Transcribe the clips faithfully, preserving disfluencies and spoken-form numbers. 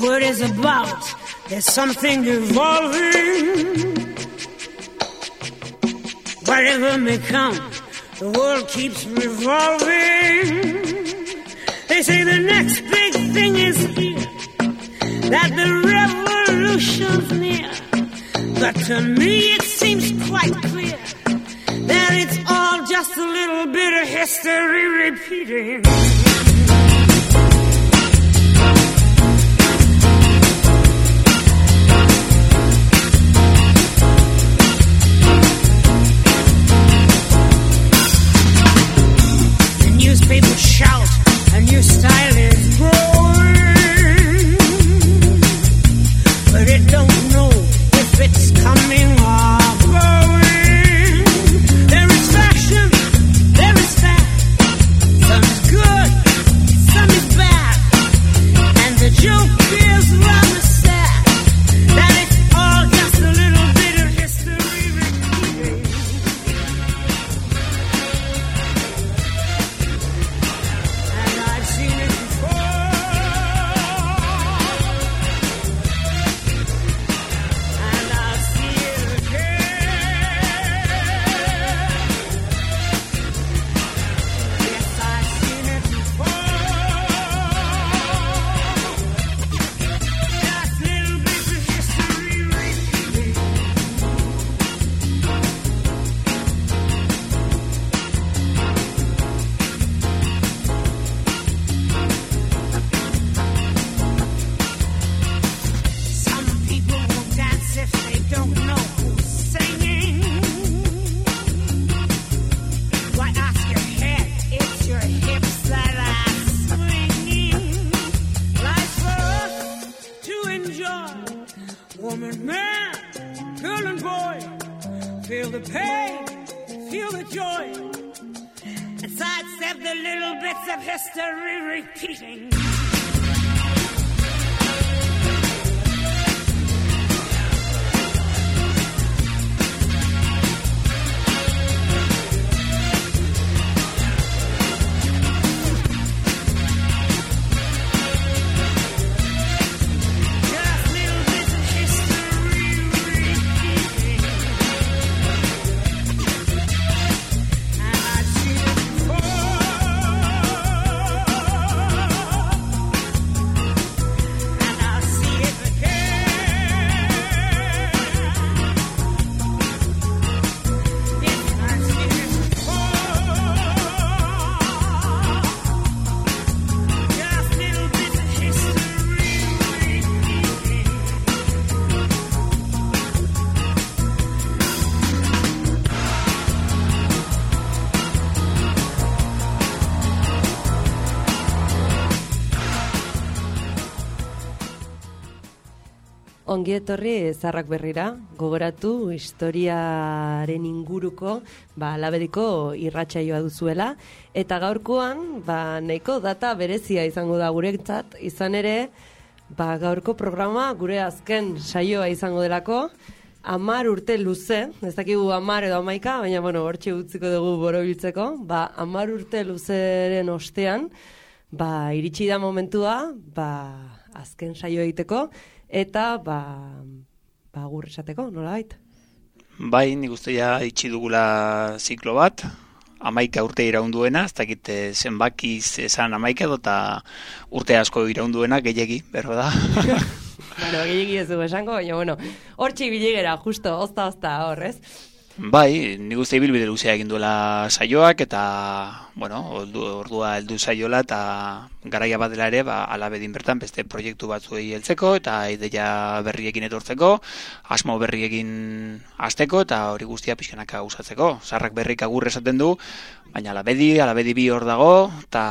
word is about. There's something evolving. Whatever may come, the world keeps revolving. They say the next big thing is here, that the revolution's near. But to me it seems quite clear that it's all just a little bit of history repeating. The newspapers shout, a new style is growing, but it don't know if it's coming or going. There is fashion, there is fat. Some is good, some is bad. And the joke is rather sad, that it's all just a little bit of history repeating. And I've seen it before, and I'll see it again. Yes, I've seen it before. Just little bits of history repeating. Some people will dance if they don't know who's singing. Why ask your head? It's your hips that are swinging. Life's for us to enjoy. Woman, man, girl and boy, feel the pain, feel the joy, and sidestep the little bits of history repeating. Just little bits of history repeating. And I've seen it before, and I'll see it again. Yes, I've seen it before. Just little bits of history repeating. Ongi etorri Zarrak Berrira, gogoratu historiaren inguruko ba, Alabediko irratsaioa duzuela, eta gaurkoan ba, nahiko data berezia izango da guretzat, izan ere ba, gaurko programa gure azken saioa izango delako, amar urte luze, ez dakigu amar edo amaika, baina bueno, hortxe utziko dugu borobiltzeko, ba, amar urte luzeren ostean, ba, iritsi da momentua, ba, azken saioa egiteko, eta ba, ba agur esateko, nolabait? Bai, nik uste ja itxi dugula ziklo bat, amaika urte iraunduena, ez dakit eh, zenbakiz esan amaika edo eta urte asko iraunduena gehiegi, berro da. Bueno, gehiegi ez dugu esango, baina bueno, hortxe biligera, justo, ozta-ozta hor, ez? Bai, nik uste ibilbide luzea egin duela saioak, eta, bueno, ordu, ordua heldu saiola, eta garaia bat dela ere, ba, Alabedin bertan beste proiektu batzuei heltzeko, eta ideia berriekin etortzeko, asmo berriekin hasteko, eta hori guztia pixkanaka usatzeko. Zarrak Berrik agur esaten du, baina Alabedi, Alabedi bi hor dago, eta,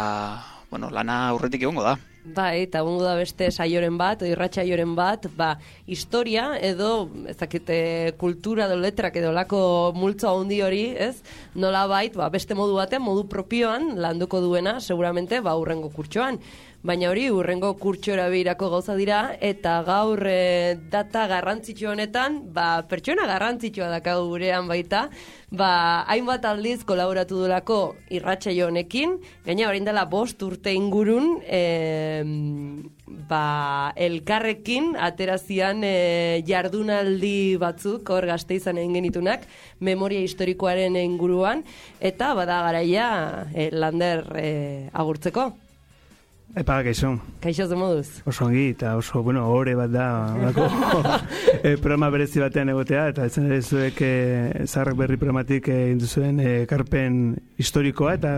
bueno, lana aurretik egongo da. Bai, eta egongo da beste saioren bat, o irratsaioren bat, ba, historia edo, ez dakite, kultura edo letrak edo lako multzo handi hori, ez? Nola bait, ba, beste modu batean, modu propioan landuko duena, seguramente, ba, urrengo kurtsoan. Baina hori, urrengo kurtsora behirako gauza dira, eta gaur e, data garrantzitsu honetan, ba, pertsona garrantzitsua dakagu gurean baita, ba, hainbat aldiz kolaboratu dulako irratsaio honekin, gaina orain dela bost urte ingurun, e, ba, elkarrekin aterazian e, jardunaldi batzuk hor Gasteizan egin genitunak memoria historikoaren inguruan eta bada garaia e, Lander e, agurtzeko. Epa, kaixo. Kaixo ze moduz. Oso ongi, eta oso, bueno, ore bat da, lako, e, programa berezi batean egotea, eta ezen ere zuek e, Zaharrak Berri programatik e, induzuen e, karpen historikoa, eta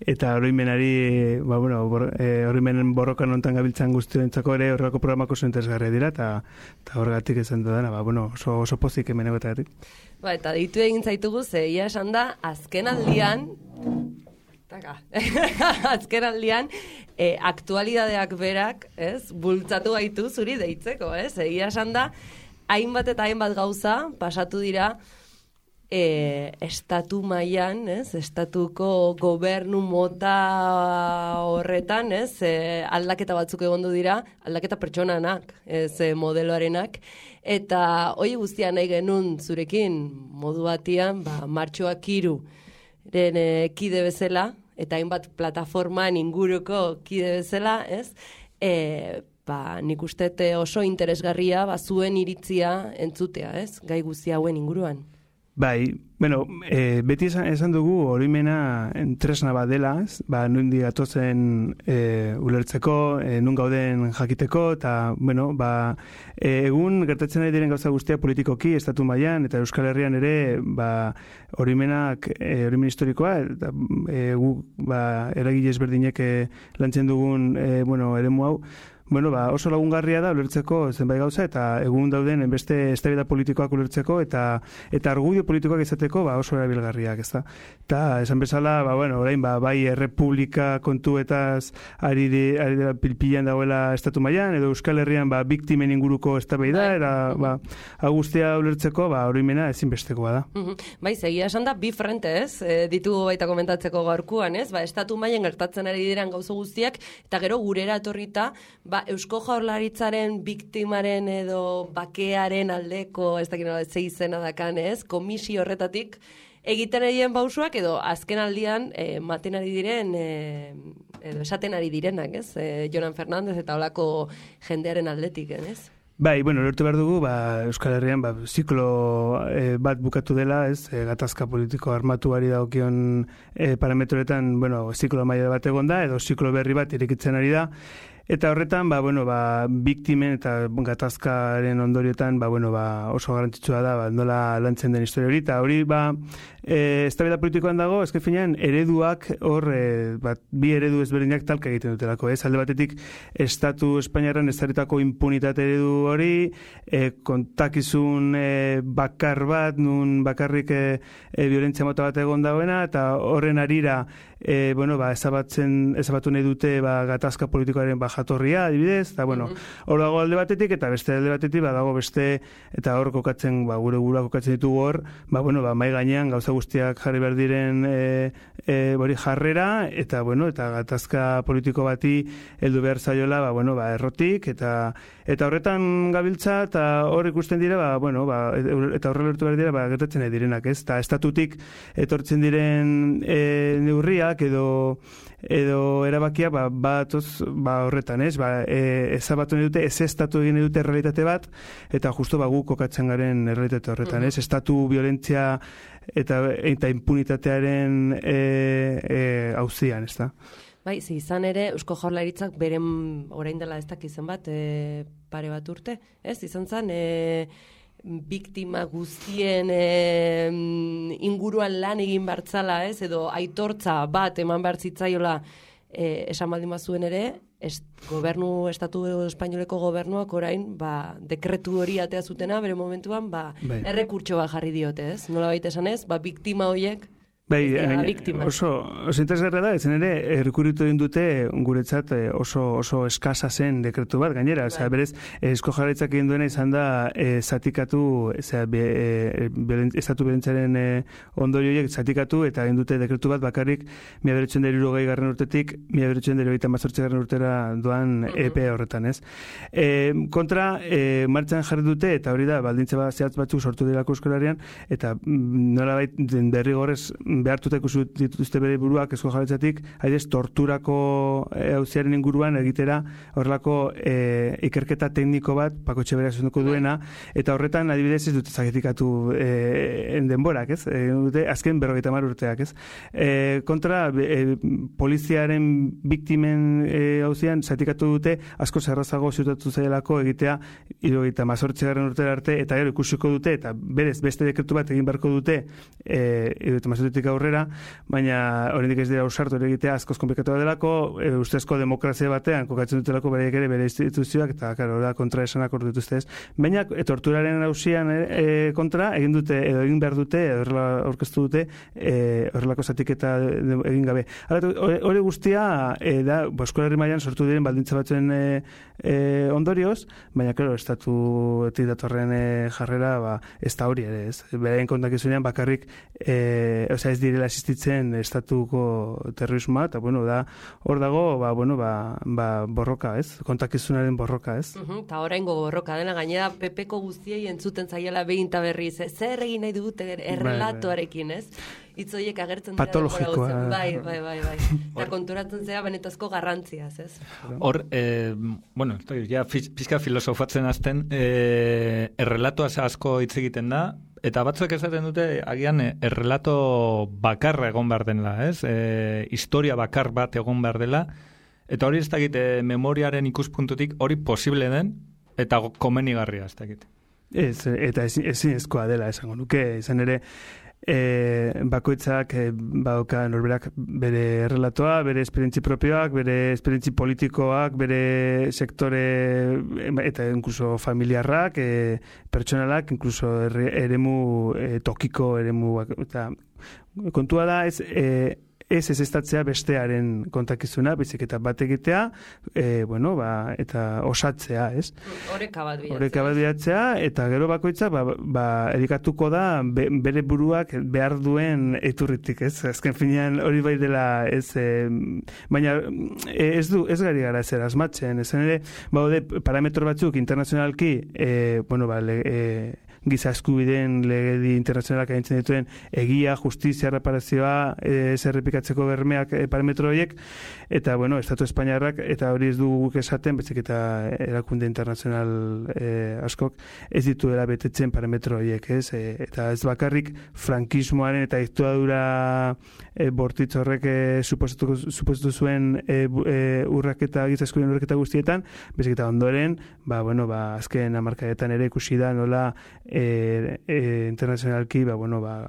eta oroimenari, ba, bueno, bor, e, oroimenen borrokan ontan gabiltzan guztiontzako ere horrelako programako oso interesgarria dira, eta, eta horregatik esan dudana, ba, bueno, oso, oso pozik hemen egoteatik. Ba, eta ditu egin zaitugu, ze ia esan da, azken aldian, Taka. Azken aldian, e, aktualidadeak berak, ez, bultzatu gaitu zuri deitzeko, ez? Egia esan da, hainbat eta hainbat gauza pasatu dira e, estatu mailan, ez? Estatuko gobernu mota horretan, ez? E, aldaketa batzuk egondu dira, aldaketa pertsonanak, ez, e, modeloarenak, eta hori guztia nahi genuen zurekin modu batian, ba, martxoak hiru ren e, kide bezala, eta hainbat plataforman inguruko kide bezala, ez? E, ba, nik uste oso interesgarria ba, zuen iritzia entzutea, ez? Gai guzti hauen inguruan. Bai, bueno, e, beti esan, esan dugu oroimena tresna bat dela, ez? Ba, nundi gatozen e, ulertzeko, e, nun gauden jakiteko, eta, bueno, ba, e, egun gertatzen ari diren gauza guztia politikoki, estatu mailan eta Euskal Herrian ere, ba, oroimenak, e, oroimen historikoa, eta e, gu, ba, eragile ezberdinek e, lantzen dugun, e, bueno, eremu hau, bueno, ba, oso lagungarria da ulertzeko zenbait gauza eta egun dauden beste eztabaida politikoak ulertzeko eta eta argudio politikoak izateko ba, oso erabilgarriak, ezta. Eta esan bezala, ba, bueno, orain ba, bai errepublika kontuetaz ari di, ari dela pilpilan dagoela estatu mailan edo Euskal Herrian ba, biktimen inguruko eztabaida era ba, agustia ulertzeko ba, oroimena ezinbestekoa da. Bai, egia esan da bi frente, ez? E, ditugu baita komentatzeko gaurkoan, ez? Ba, estatu mailan gertatzen ari diren gauza guztiak eta gero gurera etorrita, ba, Eusko Jaurlaritzaren biktimaren edo bakearen aldeko, ez dakit nola ze izena dakan, ez? Komisio horretatik egiten egiten pausuak edo azken aldian e, maten ari diren e, edo esaten ari direnak, ez? E, Jonan Fernandez eta holako jendearen aldetik, ez? Bai, bueno, lortu behar dugu, ba, Euskal Herrian ba, ziklo e, bat bukatu dela, ez, e, gatazka politiko armatuari dagokion e, parametroetan, bueno, ziklo maila bat egon da, edo ziklo berri bat irekitzen ari da, eta horretan, ba, bueno, ba, biktimen eta gatazkaren ondoriotan, ba, bueno, ba, oso garrantzitsua da, ba, nola lantzen den historia hori, eta hori, ba, e, eztabaida politikoan dago, ezke finean, ereduak, hor, e, bat, bi eredu ezberdinak talka egiten dutelako, ez, alde batetik, Estatu Espainiarren ezarritako impunitate eredu hori, e, kontakizun e, bakar bat, nun bakarrik e, e, violentzia mota bat egon dagoena, eta horren arira, e, bueno, ba, ezabatzen, ezabatu nahi dute, ba, gatazka politikoaren ba, jatorria, adibidez, eta, bueno, hor mm-hmm. dago alde batetik, eta beste alde batetik, ba, dago beste, eta hor kokatzen, ba, gure gura kokatzen ditugu hor, ba, bueno, ba, mai gainean gauza guztiak jarri behar diren e, e, bori jarrera, eta, bueno, eta gatazka politiko bati heldu behar zaiola, ba, bueno, ba, errotik, eta eta horretan gabiltza, eta hor ikusten dira, ba, bueno, ba, eta horre lertu behar dira, ba, gertatzen nahi direnak, ez? Eta estatutik etortzen diren e, neurriak, edo edo erabakia ba, batoz ba, horretan, ez? Ba, e, ezabatu nahi dute, ez estatu egin nahi dute realitate bat, eta justo ba, gu kokatzen garen realitate horretan, ez? Estatu violentzia eta, eta impunitatearen e, e, auzian, ez da? Bai, zi, izan ere, Eusko Jaurlaritzak beren orain dela ez dakizen bat, e, pare bat urte, ez? Izan zen, e, biktima guztien e, inguruan lan egin bartzala, ez? Edo aitortza bat eman bartzitzaiola e, esan baldin bazuen ere, est, gobernu, estatu espainoleko gobernuak orain, ba, dekretu hori atea zutena, bere momentuan, ba, bai. Errekurtso bat jarri diote, ez? Nola baita esan ez, ba, biktima horiek, bai, oso, oso interesgarra da, ezen ere, errekurritu egin dute guretzat oso, oso eskasa zen dekretu bat, gainera, bai. Osea, berez, Eusko Jaurlaritzak egin duena izan da e, zatikatu, osea, be, e, belen, estatu berentzaren e, ondorioiek zatikatu, eta egin dute dekretu bat bakarrik mila bederatziehun eta hirurogei garren urtetik, mila bederatziehun eta hirurogeita hemezortzi garren urtera doan uh-huh. E P horretan, ez? E, kontra, e, martxan jarri dute, eta hori da, baldintza bat zehatz batzuk sortu dirako Euskal Herrian, eta nolabait derrigorrez behartuta ikusi dituzte bere buruak Eusko Jaurlaritzatik, adibidez, torturako auziaren inguruan egitera horrelako e, ikerketa tekniko bat Paco Etxeberria zuzenduko duena, eta horretan adibidez ez dute zagetikatu e, denborak, ez? E, dute azken berrogeita hamar urteak, ez? E, kontra, e, poliziaren biktimen e, auzian zatikatu dute asko zerrazago ziutatu zailako egitea hirurogeita hemezortzigarren urtera arte, eta gero ikusiko dute, eta berez beste dekretu bat egin beharko dute e, hirurogeita hemezortzitik aurrera, baina oraindik ez dira ausartu ere egitea askoz konplikatu delako, e, ustezko demokrazia batean kokatzen dutelako beraiek ere bere instituzioak, eta claro, da kontra esanak hor dituzte ez. Baina e, torturaren auzian e, kontra egin dute edo egin behar dute edo horrela aurkeztu dute e, horrelako zatiketa egin gabe. Hori guztia e, da Euskal Herri mailan sortu diren baldintza batzuen e, e, ondorioz, baina claro, estatuetik datorren e, jarrera ba, ez da hori ere, ez. Beraien kontakizunean bakarrik e, osea ez direla existitzen estatuko terrorismoa, eta bueno, da hor dago, ba, bueno, ba, ba, borroka, ez? Kontakizunaren borroka, ez? Eta uh-huh, oraingo borroka dena, gainera Pepeko guztiei entzuten zaiela behin ta berriz, zer egin nahi dugute errelatoarekin, ez? Hitz horiek agertzen dira. Patologikoa. Bai, bai, bai, bai. Eta konturatzen zera benetazko garrantziaz, ez? Hor, eh, bueno, estoy ja pizka filosofatzen azten, eh, errelatoaz asko hitz egiten da, eta batzuek esaten dute, agian, errelato bakarra egon behar dela, ez? E, historia bakar bat egon behar dela, eta hori ez dakit, e, memoriaren ikuspuntutik hori posible den, eta komenigarria ez dakit. Ez, eta ezin ezkoa dela esango nuke, izan ere, E, bakoitzak e, badauka norberak bere errelatoa, bere esperientzi propioak, bere esperientzi politikoak, bere sektore eta incluso familiarrak, e, pertsonalak, incluso eremu e, tokiko eremu, eta kontua da ez e, ez ez estatzea bestearen kontakizuna, bizik eta bat egitea, e, bueno, ba, eta osatzea, ez? Oreka bat bilatzea. Oreka bat bilatzea, eta gero bakoitza, ba, ba, erikatuko da be, bere buruak behar duen iturritik, ez? Azken finean hori bai dela, ez, e, baina ez du, ez gari gara zer asmatzen, ezen ere, baude parametro batzuk internazionalki, e, bueno, ba, le, e, giza eskubideen legedi internazionalak agintzen dituen egia, justizia, reparazioa, ez errepikatzeko bermeak e, parametro horiek, eta, bueno, Estatu Espainiarrak, eta hori ez du guk esaten, bezik eta erakunde internazional e, askok, ez dituela betetzen parametro horiek, ez? E, eta ez bakarrik frankismoaren eta diktadura e, bortitz horrek e, suposatu, suposatu zuen e, e, urraketa, giza eskubideen urraketa guztietan, bezik eta ondoren, ba, bueno, ba, azken hamarkadetan ere ikusi da, nola E, e, internazionalki ba, bueno, ba,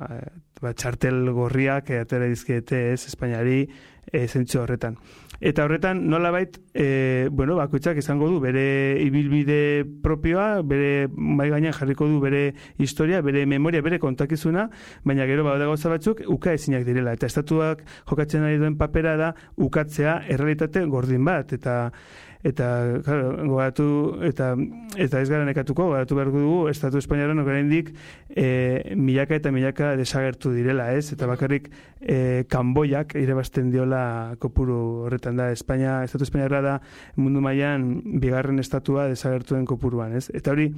ba, txartel gorriak e, atera dizkiete ez Espainiari e, zentzu horretan. Eta horretan nolabait e, bueno, bakoitzak izango du bere ibilbide propioa, bere mai gainean jarriko du bere historia, bere memoria, bere kontakizuna, baina gero bada gauza batzuk uka ezinak direla. Eta estatuak jokatzen ari duen papera da ukatzea errealitate gordin bat, eta eta claro, gogatu eta eta ez gara nekatuko, gogatu behar dugu Estatu Espainiaren oraindik e, milaka eta milaka desagertu direla, ez? Eta bakarrik e, Kanboiak irabazten diola kopuru horretan da. Espainia, Estatu Espainiarra da mundu mailan bigarren estatua desagertuen kopuruan, ez? Eta hori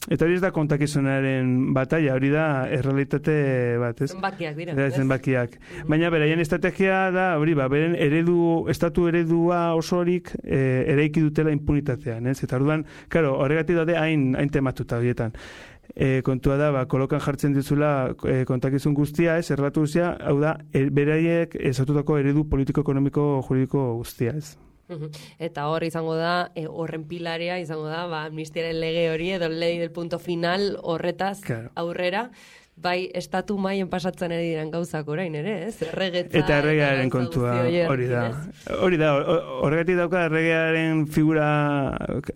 eta hori ez da kontakizunaren bataila, hori da errealitate bat, ez? Zenbakiak dira. Da, zenbakiak. Mm-hmm. Baina beraien estrategia da, hori ba, beren eredu, estatu eredua osorik e, eraiki dutela impunitatean, ez? Eta orduan, claro, horregatik daude hain hain tematuta horietan. E, kontua da, ba, kolokan jartzen dizula e, kontakizun guztia, ez, errelatu guztia, hau da, e, beraiek ezatutako eredu politiko, ekonomiko, juridiko guztia, ez. Eta hor izango da, e, horren pilarea izango da, ba, amnistiaren lege hori edo lei del punto final horretaz claro. Aurrera, bai, estatu maien pasatzen ere diren gauzak orain ere, ez? Erregetza. Eta erregearen kontua hori da. Hori da, horregatik dauka erregearen figura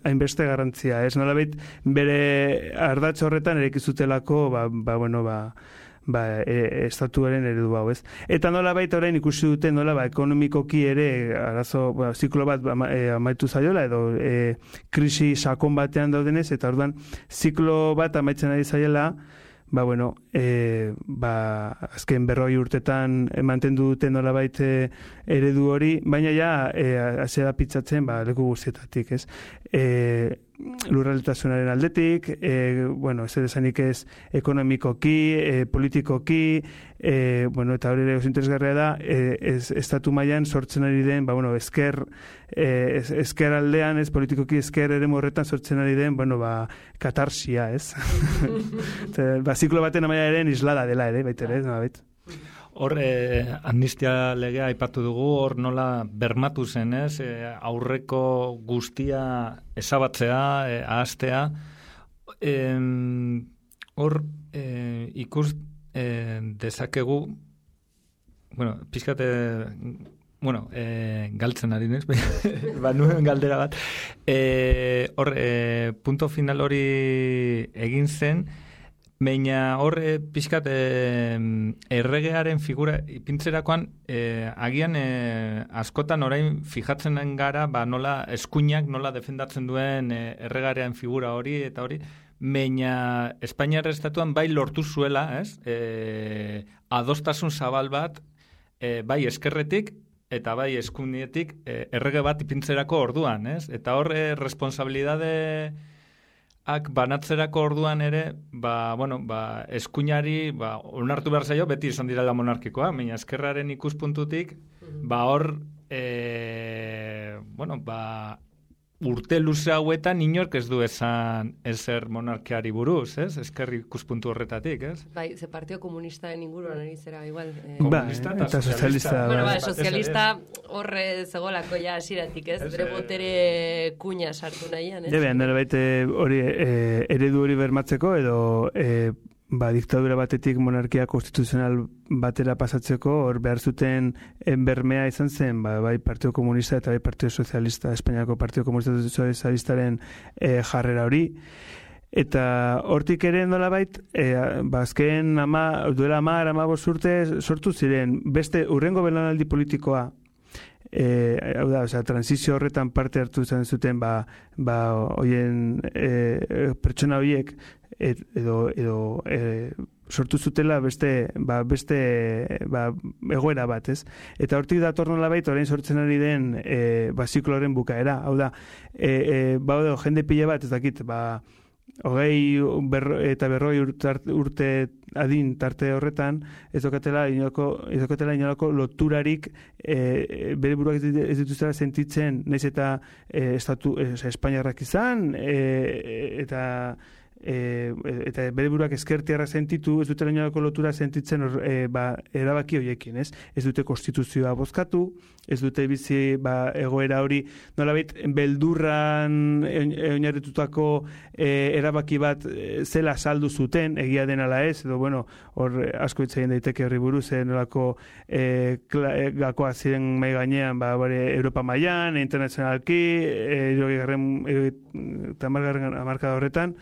hainbeste garrantzia, ez? Nolabait bere ardatz horretan erekizutelako, ba, ba, bueno, ba, ba, e, estatuaren eredu hau, ez? Eta nolabait orain ikusi dute, nola, ba, ekonomikoki ere, arazo, ba, ziklo bat ba, e, amaitu zaiola, edo e, krisi sakon batean daudenez, eta orduan ziklo bat amaitzen ari zaiela, ba, bueno, e, ba, azken berroi urtetan mantendu dute nolabait e, eredu hori, baina ja, e, azera pitzatzen, ba, leku guztietatik, ez? E, lurraltasunaren aldetik, e, bueno, ez esanik ez ekonomikoki, e, politikoki, e, bueno, eta hori ere oso interesgarria da, e, ez, estatu mailan sortzen ari den, ba, bueno, esker, e, ez, esker aldean, ez politikoki esker ere morretan sortzen ari den, bueno, ba, katarsia, ez? Ba, ziklo baten amaiaren islada dela ere, baitere, no, bait. Hor, eh, amnistia legea aipatu dugu, hor nola bermatu zen, ez? Eh, aurreko guztia ezabatzea, eh, ahaztea. Eh, hor, eh, ikus eh, dezakegu, bueno, pixkate, bueno, eh, galtzen ari nez, ba, nuen galdera bat. Eh, hor, eh, punto final hori egin zen, baina horre pixkat e, erregearen figura ipintzerakoan e, agian e, askotan orain fijatzen gara ba, nola eskuinak nola defendatzen duen e, erregearen figura hori eta hori, baina Espainiar estatuan bai lortu zuela, ez? E, adostasun zabal bat e, bai eskerretik eta bai eskuinetik e, errege bat ipintzerako orduan, ez? Eta horre responsabilidade ak banatzerako orduan ere, ba, bueno, ba, eskuinari, ba, onartu behar zaio, beti izan direla monarkikoa, baina eskerraren ikuspuntutik, ba, hor, e, bueno, ba, urte luze hauetan inork ez du esan ezer monarkiari buruz, ez? Eskerri ikuspuntu horretatik, ez? Bai, ze Partio Komunistaren inguruan ari zera, igual. Eh, Komunista ba, eta sozialista. Bueno, ba, sozialista horre zegolako ja asiratik, ez? Bere botere kuña sartu nahian, ez? Debean, nire baite hori e, eredu hori bermatzeko edo e, ba, diktadura batetik monarkia konstituzional batera pasatzeko hor behar zuten bermea izan zen, ba, bai Partio Komunista eta bai Partio Sozialista, Espainiako Partio Komunista Sozialistaren e, jarrera hori. Eta hortik ere nolabait, e, ba, azken ama, duela amar, amabos urte sortu ziren, beste urrengo belaunaldi politikoa, E, hau da, osea, transizio horretan parte hartu izan zuten ba, ba hoien e, pertsona horiek et, edo, edo e, sortu zutela beste, ba, beste ba, egoera bat, ez? Eta hortik dator nolabait orain sortzen ari den e, ba, zikloren bukaera, hau da, e, e, ba, edo, jende pila bat, ez dakit, ba, hogei berro, eta berroi urte, urte adin tarte horretan, ez dokatela inolako, ez dokatela inolako loturarik e, bere buruak ez dituzela sentitzen, nahiz eta e, estatu, e, Espainiarrak izan, e, eta E, eta bere buruak eskertiarra sentitu, ez dute inolako lotura sentitzen or, e, ba, erabaki horiekin, ez? Ez dute konstituzioa bozkatu, ez dute bizi ba, egoera hori nolabait beldurran oinarritutako e, erabaki bat e, zela saldu zuten, egia den ala ez, edo bueno, hor asko hitz egin daiteke horri buruz, e, nolako e, kla, e, gakoa ziren mai gainean, ba, bare, Europa mailan, internazionalki, hirugarren e, eta hamarkada horretan.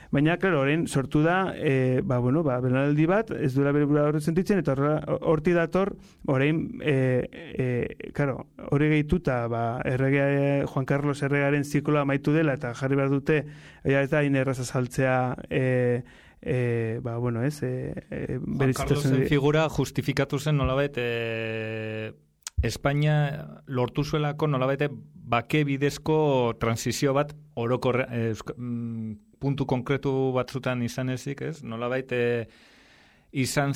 Baina, klaro, horrein sortu da, e, ba, bueno, ba, belaunaldi bat, ez duela bere burua horret sentitzen, eta horti dator, horrein, e, e, klaro, hori gehituta, ba, errege, Juan Carlos erregaren zikloa amaitu dela, eta jarri behar dute, ja, ez da, inerraza saltzea, e, e, ba, bueno, ez, e, e, Juan Carlosen figura justifikatu zen nolabait, e, Espainia lortu zuelako nolabait bake bidezko transizio bat orokorre, e, puntu konkretu batzutan izan ezik, ez? Nolabait e, izan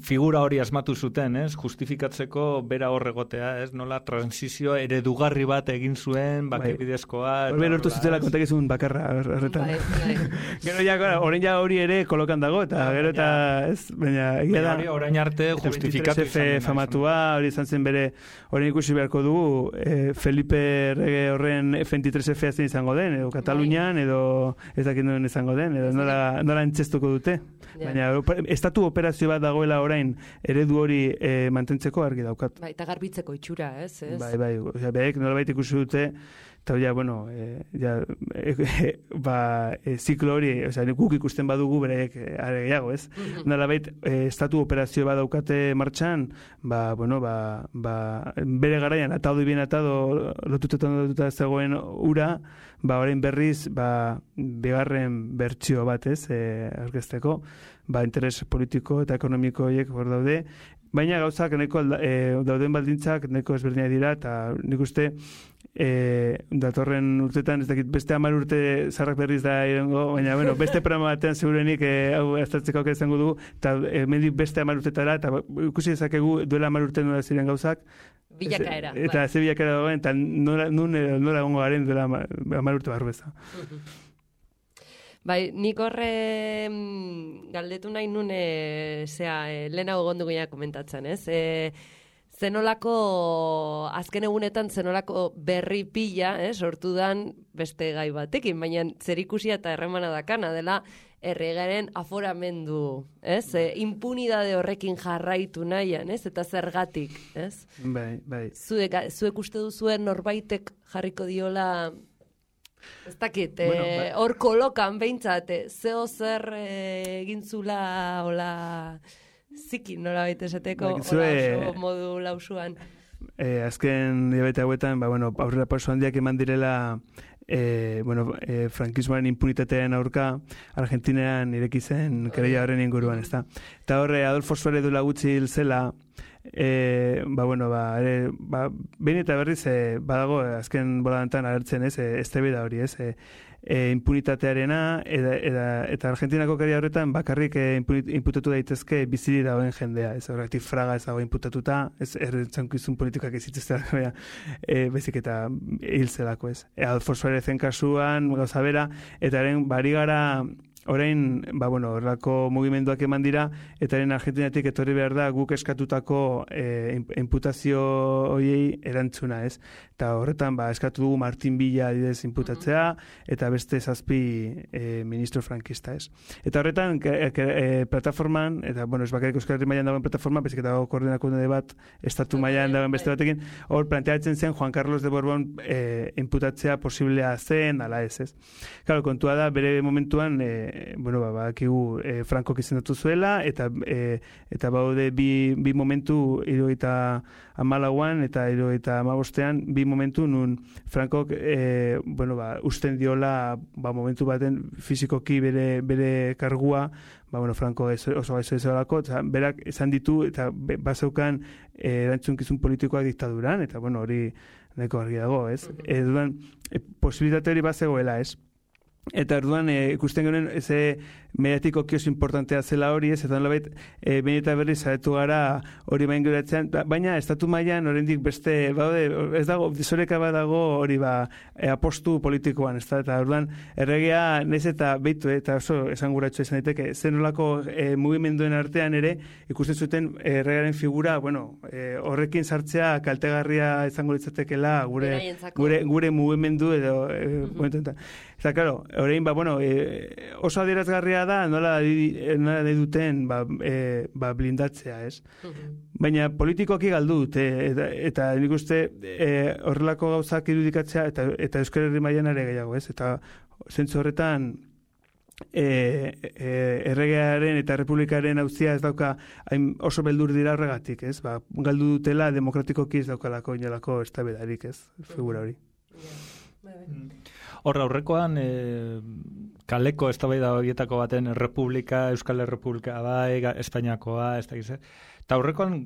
figura hori asmatu zuten, ez? Justifikatzeko bera horregotea, ez? Nola transizio eredugarri bat egin zuen, bake bidezkoa. Horben lortu zutela kontakizun bakarra horretan. Gero ja, orain ja hori ere kolokan dago, eta gero eta, ez? Baina, egia da. Orain arte justifikatu izan. Famatua, hori izan zen bere, orain ikusi beharko dugu, eh, Felipe errege horren F veintitrés F azten izango den, edo Katalunian, edo ez dakit duen izango den, edo nola, nola entzestuko dute. Baina, estatu operazio bat dagoela orain eredu hori e, mantentzeko argi daukat. Bai, eta garbitzeko itxura, ez? ez? Bai, bai, osea, behek nolabait ikusi dute, eta ja, bueno, e, ja, e, e, ba, e, ziklo hori, osea, guk ikusten badugu bereek are gehiago, ez? Nolabait, e, estatu operazio bat daukate martxan, ba, bueno, ba, ba, bere garaian, atado bien atado, lotutetan lotuta zegoen ura, ba, orain berriz, ba, bigarren bertsio bat, ez, e, aurkezteko, ba, interes politiko eta ekonomiko horiek hor daude, baina gauzak neko e, dauden baldintzak neko ezberdinak dira, eta nik uste E, datorren urtetan, ez dakit, beste hamar urte zarrak berriz da irengo, baina, bueno, beste programa batean segurenik e, hau aztertzeko aukera izango dugu, eta e, mendik beste hamar urtetara, eta ikusi dezakegu duela hamar urte nola ziren gauzak, bilakaera. Ez, eta ze bilakaera dagoen, eta nola, nola gongo garen duela hamar urte barru eza. Bai, nik horre galdetu nahi nun, e, zera, e, lehenago gondu gina komentatzen, ez? E, zenolako, azken egunetan zenolako berri pila, eh, sortu dan beste gai batekin, baina zerikusia eta erremana dakana dela erregaren aforamendu, ez? E, impunidade horrekin jarraitu nahian, ez? Eta zergatik, ez? Bai, bai. Zuek, zuek uste duzuen norbaitek jarriko diola, ez dakit, hor bueno, eh, ba... kolokan behintzat, zeo zer eh, egintzula, hola... Zikin nola baita esateko, hola oso modu lausuan. Eh, azken diabete hauetan, ba, bueno, aurrera pauso handiak eman direla eh, bueno, eh, frankismoaren impunitatearen aurka Argentinean ireki zen kereila horren inguruan, ezta. Eta horre, Adolfo Suárez duela gutxi hil zela, eh, ba, bueno, ba, ere, ba, behin eta berriz, eh, badago, azken boladantan agertzen, ez, eh, eztabaida hori, ez, eh, E, impunitatearena eta, eta, eta Argentinako keria horretan bakarrik e, imputatu daitezke biziri dagoen jendea, ez horretik Fraga ez dago imputatuta, ez errentzankizun politikak ezitzeztea, e, bezik eta hil zelako, ez. E, Adolfo Suárezen kasuan, gauza bera, eta eren bari gara orain, ba, bueno, horrelako mugimenduak eman dira, eta eren Argentinatik etorri behar da guk eskatutako e, imputazio horiei erantzuna, ez? Eta horretan, ba, eskatu dugu Martin Villa adidez imputatzea, eta beste zazpi e, ministro frankista, ez? Eta horretan, ke, ke, e, plataforman, eta, bueno, ez bakarrik Euskal Herri mailan dagoen plataforma, bezik eta dago koordinakunde bat, estatu mailan dagoen beste batekin, hor planteatzen zen Juan Carlos de Borbón e, imputatzea posiblea zen, ala ez, ez? Claro, kontua da, bere momentuan, e, bueno, ba, bakigu e, Frankok izendatu zuela, eta e, eta baude bi, bi momentu hirurogeita hamalauan eta hirurogeita hamabostean bi momentu nun Frankok e, bueno, ba, usten diola ba, momentu baten fizikoki bere, bere kargua, ba, bueno, Franko oso gaizo ezolako, berak esan ditu eta bazeukan e, erantzunkizun politikoak diktaduran, eta bueno, hori nahiko argi dago, ez? E, dudan, e, posibilitate hori bazegoela, ez? Eta orduan e, ikusten genuen eze mediatiko kios importantea zela hori, ez, eta nolabait e, behin eta berriz zaretu gara hori bain geratzean, baina estatu mailan oraindik beste, baude, ez dago, disoreka bat dago hori ba, e, apostu politikoan, ez da, eta orduan erregea naiz eta beitu, eta oso esanguratxo izan daiteke, zen nolako e, mugimenduen artean ere, ikusten zuten erregearen figura, bueno, e, horrekin sartzea kaltegarria izango litzatekela gure, gure, gure mugimendu edo, e, momentu, eta, claro, orain, ba, bueno, e, oso adierazgarria da nola nahi duten ba, e, ba, blindatzea, ez? Baina politikoki galdu dute, eta, eta nik uste e, horrelako gauzak irudikatzea, eta, eta Euskal Herri mailan ere gehiago, ez? Eta zentzu horretan e, e, erregearen eta republikaren auzia ez dauka hain oso beldur dira horregatik, ez? Ba, galdu dutela demokratikoki ez daukalako inolako eztabaidarik, ez? Figura hori. Horra, aurrekoan, e, kaleko eztabaida horietako baten Republika, Euskal Errepublika bai, Espainiakoa, ez da gize. Eta aurrekoan,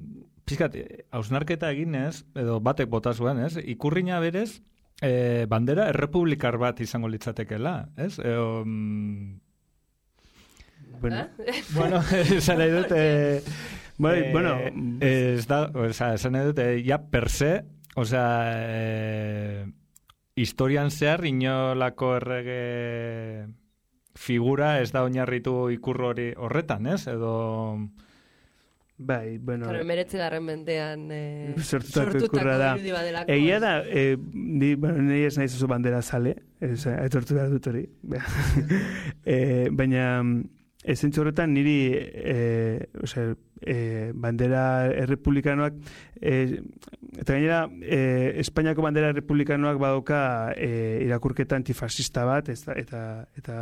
pizkat, hausnarketa eginez, edo batek bota zuen, ez? Ikurrina berez, e, bandera errepublikar bat izango litzatekela, ez? E, um... Bueno, ¿Eh? bueno, esan nahi dut, e, bai, e, bueno, ez da, oza, esan nahi dut, e, ja per se, oza, e, historian zehar inolako errege figura ez da oinarritu ikur hori horretan, ez? Edo... Bai, bueno... Pero emeretzi garren mendean eh, sortutako ikurra da. Egia da, eh, ni, bueno, ni ez nahiz oso bandera zale, aitortu behar dut hori. eh, baina, esentzu horretan niri eh, osea, eh, bandera errepublikanoak eh, eta gainera eh, Espainiako bandera errepublikanoak badoka eh, irakurketa antifascista bat eta eta eta,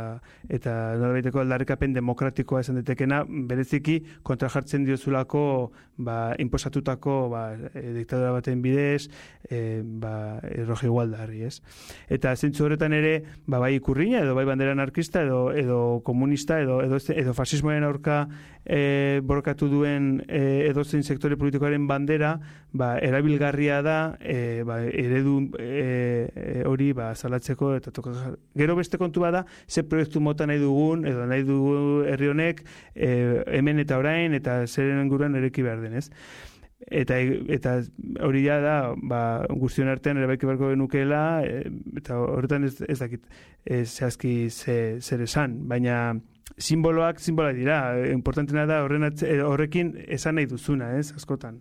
eta nolabaiteko aldarrikapen demokratikoa esan datekena bereziki kontra jartzen diozulako ba, inposatutako ba, e, diktadura baten bidez e, ba, erroji igualdarri, ez? Eta zentzu horretan ere ba, bai ikurrina edo bai bandera anarkista edo, edo komunista edo, edo, edo fasismoaren aurka e, borrokatu duen duen e, edozein sektore politikoaren bandera, ba, erabilgarria da e, ba, eredu e, hori ba, salatzeko eta toka. Gero beste kontu bada, ze proiektu mota nahi dugun, edo nahi dugu herri honek e, hemen eta orain, eta zeren inguruan ereki behar denez. Eta eta hori ja da, ba, guztion artean erabaiki beharko genukeela, e, eta horretan ez, ez dakit e, zehazki ze, zer esan, baina simboloak simboloak dira, importantena da horren atze, horrekin esan nahi duzuna, ez, askotan.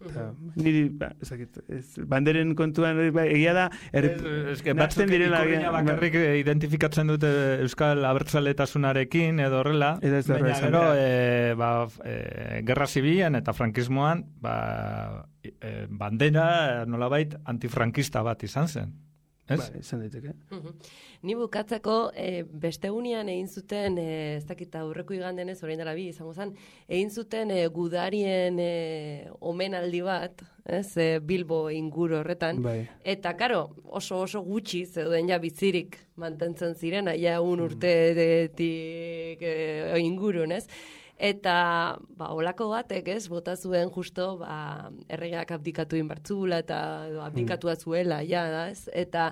Eta, niri, ba, ez dakit, ez, banderen kontuan, ba, egia da, er, ez que batzuk ikurriña bakarrik ba, identifikatzen dute Euskal Abertzaletasunarekin edo horrela, baina gero, e, ba, e, gerra zibilan eta frankismoan, ba, e, bandera nolabait antifrankista bat izan zen. Ez? Ba, izan daiteke. Uh-huh. Ni bukatzeko, e, beste unean egin zuten, e, ez dakit aurreko igandenez, orain dela bi izango zen, egin zuten e, gudarien e, omenaldi bat, ez, e, Bilbo inguru horretan, bai. Eta karo, oso oso gutxi zeuden ja bizirik mantentzen ziren, ja un urtetik e, ingurun, ez? Eta, ba, olako batek, ez, bota zuen justo, ba, erregeak abdikatu inbartzula eta abdikatua zuela, ja, da, ez? Eta,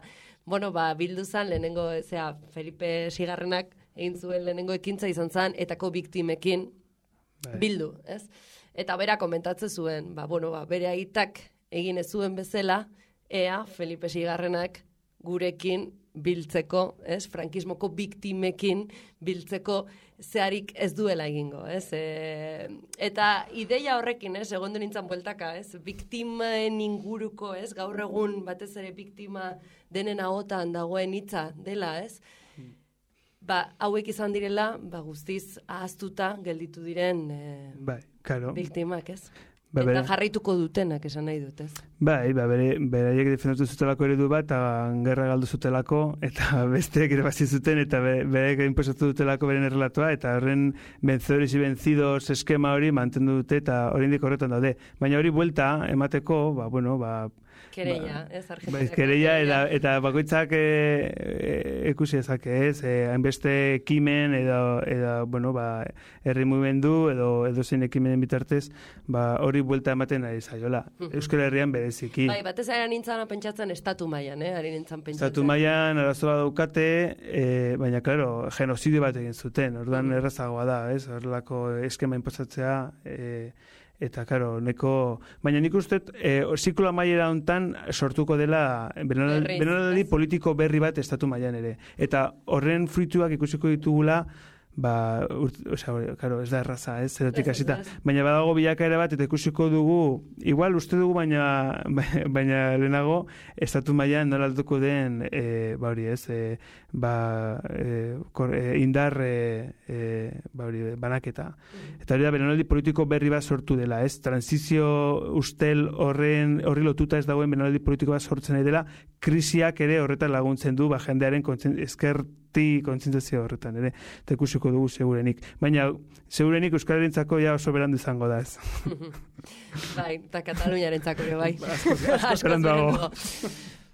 bueno, ba, bildu zan, lehenengo, zera, Felipe Sigarrenak egin zuen lehenengo ekintza izan zan, etako biktimekin bildu, ez? Eta bera komentatzen zuen, ba, bueno, ba, bere aitak egin ez zuen bezala, ea Felipe Sigarrenak gurekin biltzeko, ez, frankismoko biktimekin biltzeko zeharik ez duela egingo, ez, e, eta ideia horrekin, ez, egon nintzen bueltaka, ez, biktimaen inguruko, ez, gaur egun batez ere biktima denen ahotan dagoen hitza dela, ez, ba, hauek izan direla, ba, guztiz ahaztuta gelditu diren e, bai, claro. Biktimak, ez. Ba, eta jarraituko dutenak esan nahi dut, ez? Bai, ba, bere, beraiek defendatu zutelako eredu bat, eta gerra galdu zutelako, eta besteek irabazi zuten, eta beraiek inposatu dutelako beren errelatoa, eta horren vencedores y vencidos eskema hori mantendu dute, eta oraindik horretan daude. Baina hori buelta emateko, ba, bueno, ba, Kereia, ba, ez, Argentina. Bai, kereia, eta, eta bakoitzak e, e, ekusi ezake, ez, e, hainbeste ekimen, edo, edo, bueno, ba, herri mugimendu, edo, edo zein ekimenen bitartez, ba, hori buelta ematen ari zaiola. Euskal Herrian bereziki. Bai, batez ari nintzen pentsatzen estatu mailan, eh, ari nintzen pentsatzen. Estatu mailan arazoa daukate, e, baina, klaro, genozidio bat egin zuten, orduan errazagoa da, ez, horrelako eskema inposatzea, e, eta, karo, neko... Baina nik uste, e, ziklo amaiera hontan sortuko dela benaldi politiko berri bat estatu mailan ere. Eta horren fruituak ikusiko ditugula, ba, osea, claro, ez da erraza, ez, zeratik hasita. Baina badago bilakaera bat, eta ikusiko dugu, igual uste dugu, baina, baina lehenago, estatu mailan nola altuko den, e, ba hori, ez, e, ba, e, kor, e, indar, e, e, ba hori, banaketa. Eta hori da, benaldi politiko berri bat sortu dela, ez, transizio ustel horren, horri lotuta ez dagoen benaldi politiko bat sortzen nahi dela, krisiak ere horretan laguntzen du, ba, jendearen ezker ti kontzientziazio horretan ere, eta ikusiko dugu segurenik. Baina, segurenik Euskal Herrientzako ja oso berandu izango da ez. Bai, eta Kataluniarentzako ere bai. Asko beranduago.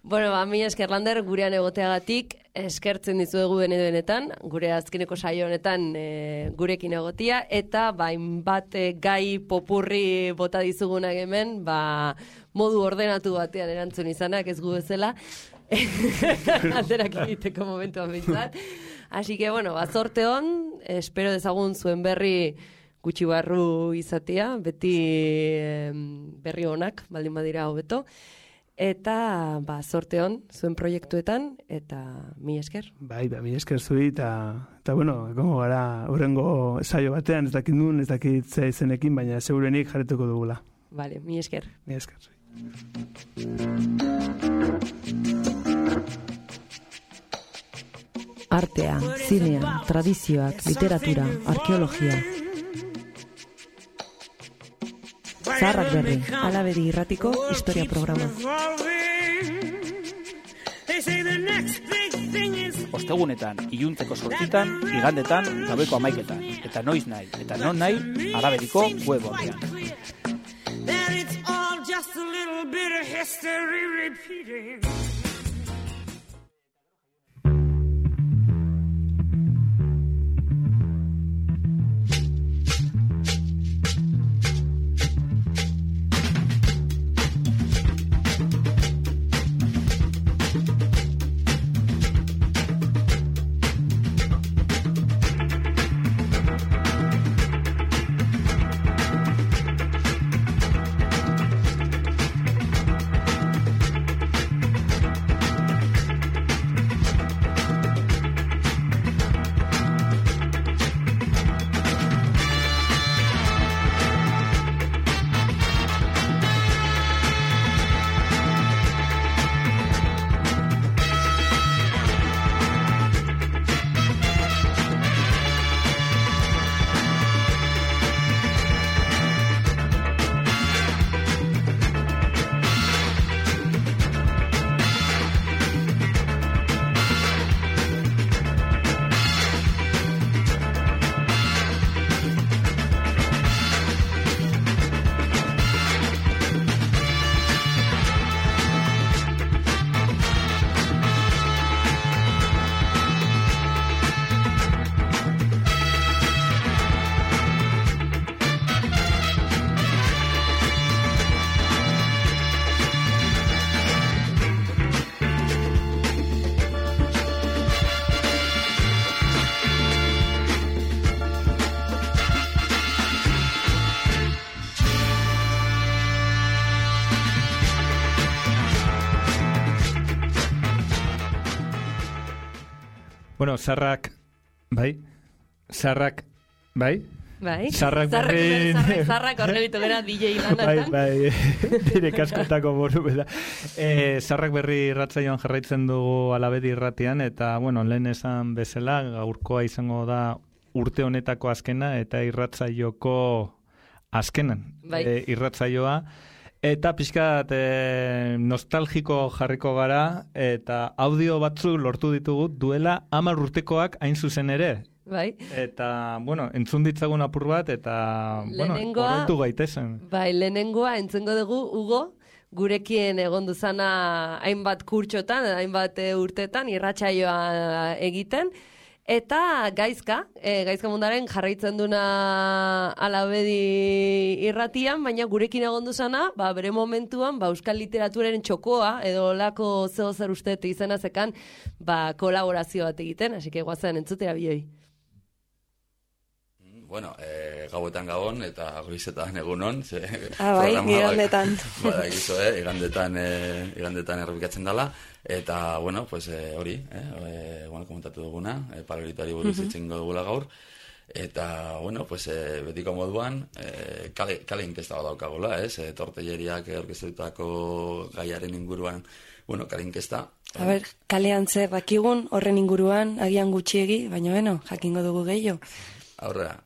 Bueno, ba, mi esker Lander, gurean egoteagatik, eskertzen dizuegu benetan, gure azkeneko saio honetan e, gurekin egotia, eta bain bat e, gai popurri bota dizugunak hemen, ba, modu ordenatu batean erantzun izanak, ez gu bezala, aterak egiteko momentuan bintzat. Así que, bueno, ba, zorte hon, espero dezagun zuen berri gutxi barru izatea, beti eh, berri honak, baldin badira hobeto. Eta, ba, zorte hon, zuen proiektuetan, eta mi esker. Bai, ba, mi esker zui, eta, eta bueno, egongo gara, urrengo saio batean, ez dakit nun, ez dakit ze izenekin, baina segurenik jarretuko dugula. Vale, mi esker. Mi esker zui. Artea, zinea, tradizioak, literatura, arkeologia. Zaharrak berri, Alabedi irratiko historia programa. Ostegunetan, iluntzeko sortzitan, igandetan, gabeko amaiketan. Eta noiz nahi, eta non nahi, Alabediko web ordean. Bueno, zarrak, bai? Zarrak, bai? Bai. Zarrak berri... Zarrak, zarrak horrelitu gara D J lanatan. Bai, bai, dire kaskotako boru beda. E, zarrak berri irratzaioan jarraitzen dugu Alabedi irratian, eta, bueno, lehen esan bezala, gaurkoa izango da urte honetako azkena, eta irratzaioko azkenan bai. e, irratzaioa. Eta pixkat e, nostalgiko jarriko gara, eta audio batzu lortu ditugu duela hamar urtekoak hain zuzen ere. Bai. Eta, bueno, entzun ditzagun apur bat, eta, bueno, horretu gaitezen. Bai, lehenengoa entzengo dugu, Hugo, gurekin egon duzana hainbat kurtxotan, hainbat urtetan, irratsaioa egiten, eta gaizka, e, gaizka mundaren jarraitzen duna Alabedi irratian, baina gurekin egon duzana, ba, bere momentuan, ba, euskal literaturaren txokoa, edo lako zeo zer uste izena zekan, ba, kolaborazio bat egiten, hasi que guazen entzutera bioi. Bueno, eh, gauetan gabon eta goizetan egunon. Ze, ah, bai, igandetan. Bada, egizu, eh, igandetan, eh, igandetan errepikatzen dela. Eta, bueno, pues eh, hori, eh, eh, bueno, komentatu duguna, eh, paralelitari buruz uh-huh. itzingo dugula gaur. Eta, bueno, pues eh, betiko moduan, eh, kale, kale inkesta bat daukagula, ez? Eh, tortelleriak orkestutako gaiaren inguruan, bueno, kale inkesta. A ber, kalean zer bakigun, horren inguruan, agian gutxiegi, baina, bueno, jakingo dugu gehiago. Aurrera.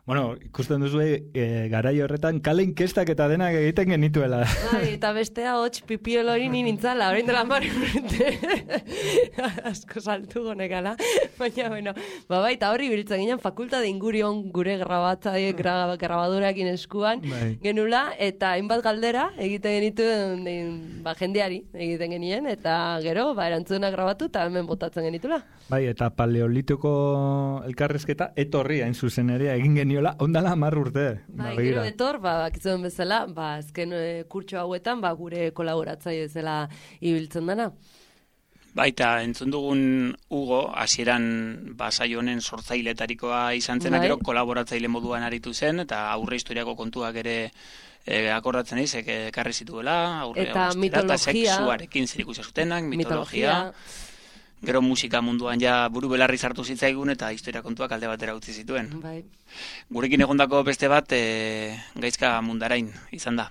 Bueno, ikusten duzu e, garai horretan kale inkestak eta denak egiten genituela. Bai, eta bestea hotx pipiolori ni nintzala, orain dela mari urte. Asko saltu gonekala. Baina, bueno, ba, bai, eta horri biltzen ginen fakultate ingurion gure grabatzaile grabadurakin eskuan bai. Genula, eta hainbat galdera egiten genituen ba, jendeari egiten genien, eta gero, ba, erantzunak grabatu eta hemen botatzen genitula. Bai, eta paleolitiko elkarrezketa etorri hain zuzen ere egin geniola, ondala hamar urte. Bai, gero etor, ba, bakitzen bezala, ba, azken e, kurtxo hauetan, ba, gure kolaboratzaile bezala ibiltzen dana. Baita, entzun dugun Hugo, hasieran ba, saio honen sortzailetarikoa izan zena, bai. Gero kolaboratzaile moduan aritu zen, eta aurre historiako kontuak ere e, akordatzen eiz, ekarri zituela, aurre eta mitologia, eta sexuarekin zerikusia zutenak, mitologia, mitologia. Gero musika munduan ja buru belarri sartu zitzaigun eta historia kontuak alde batera utzi zituen. Bai. Gurekin egondako beste bat e, Gaizka Mundarain izan da.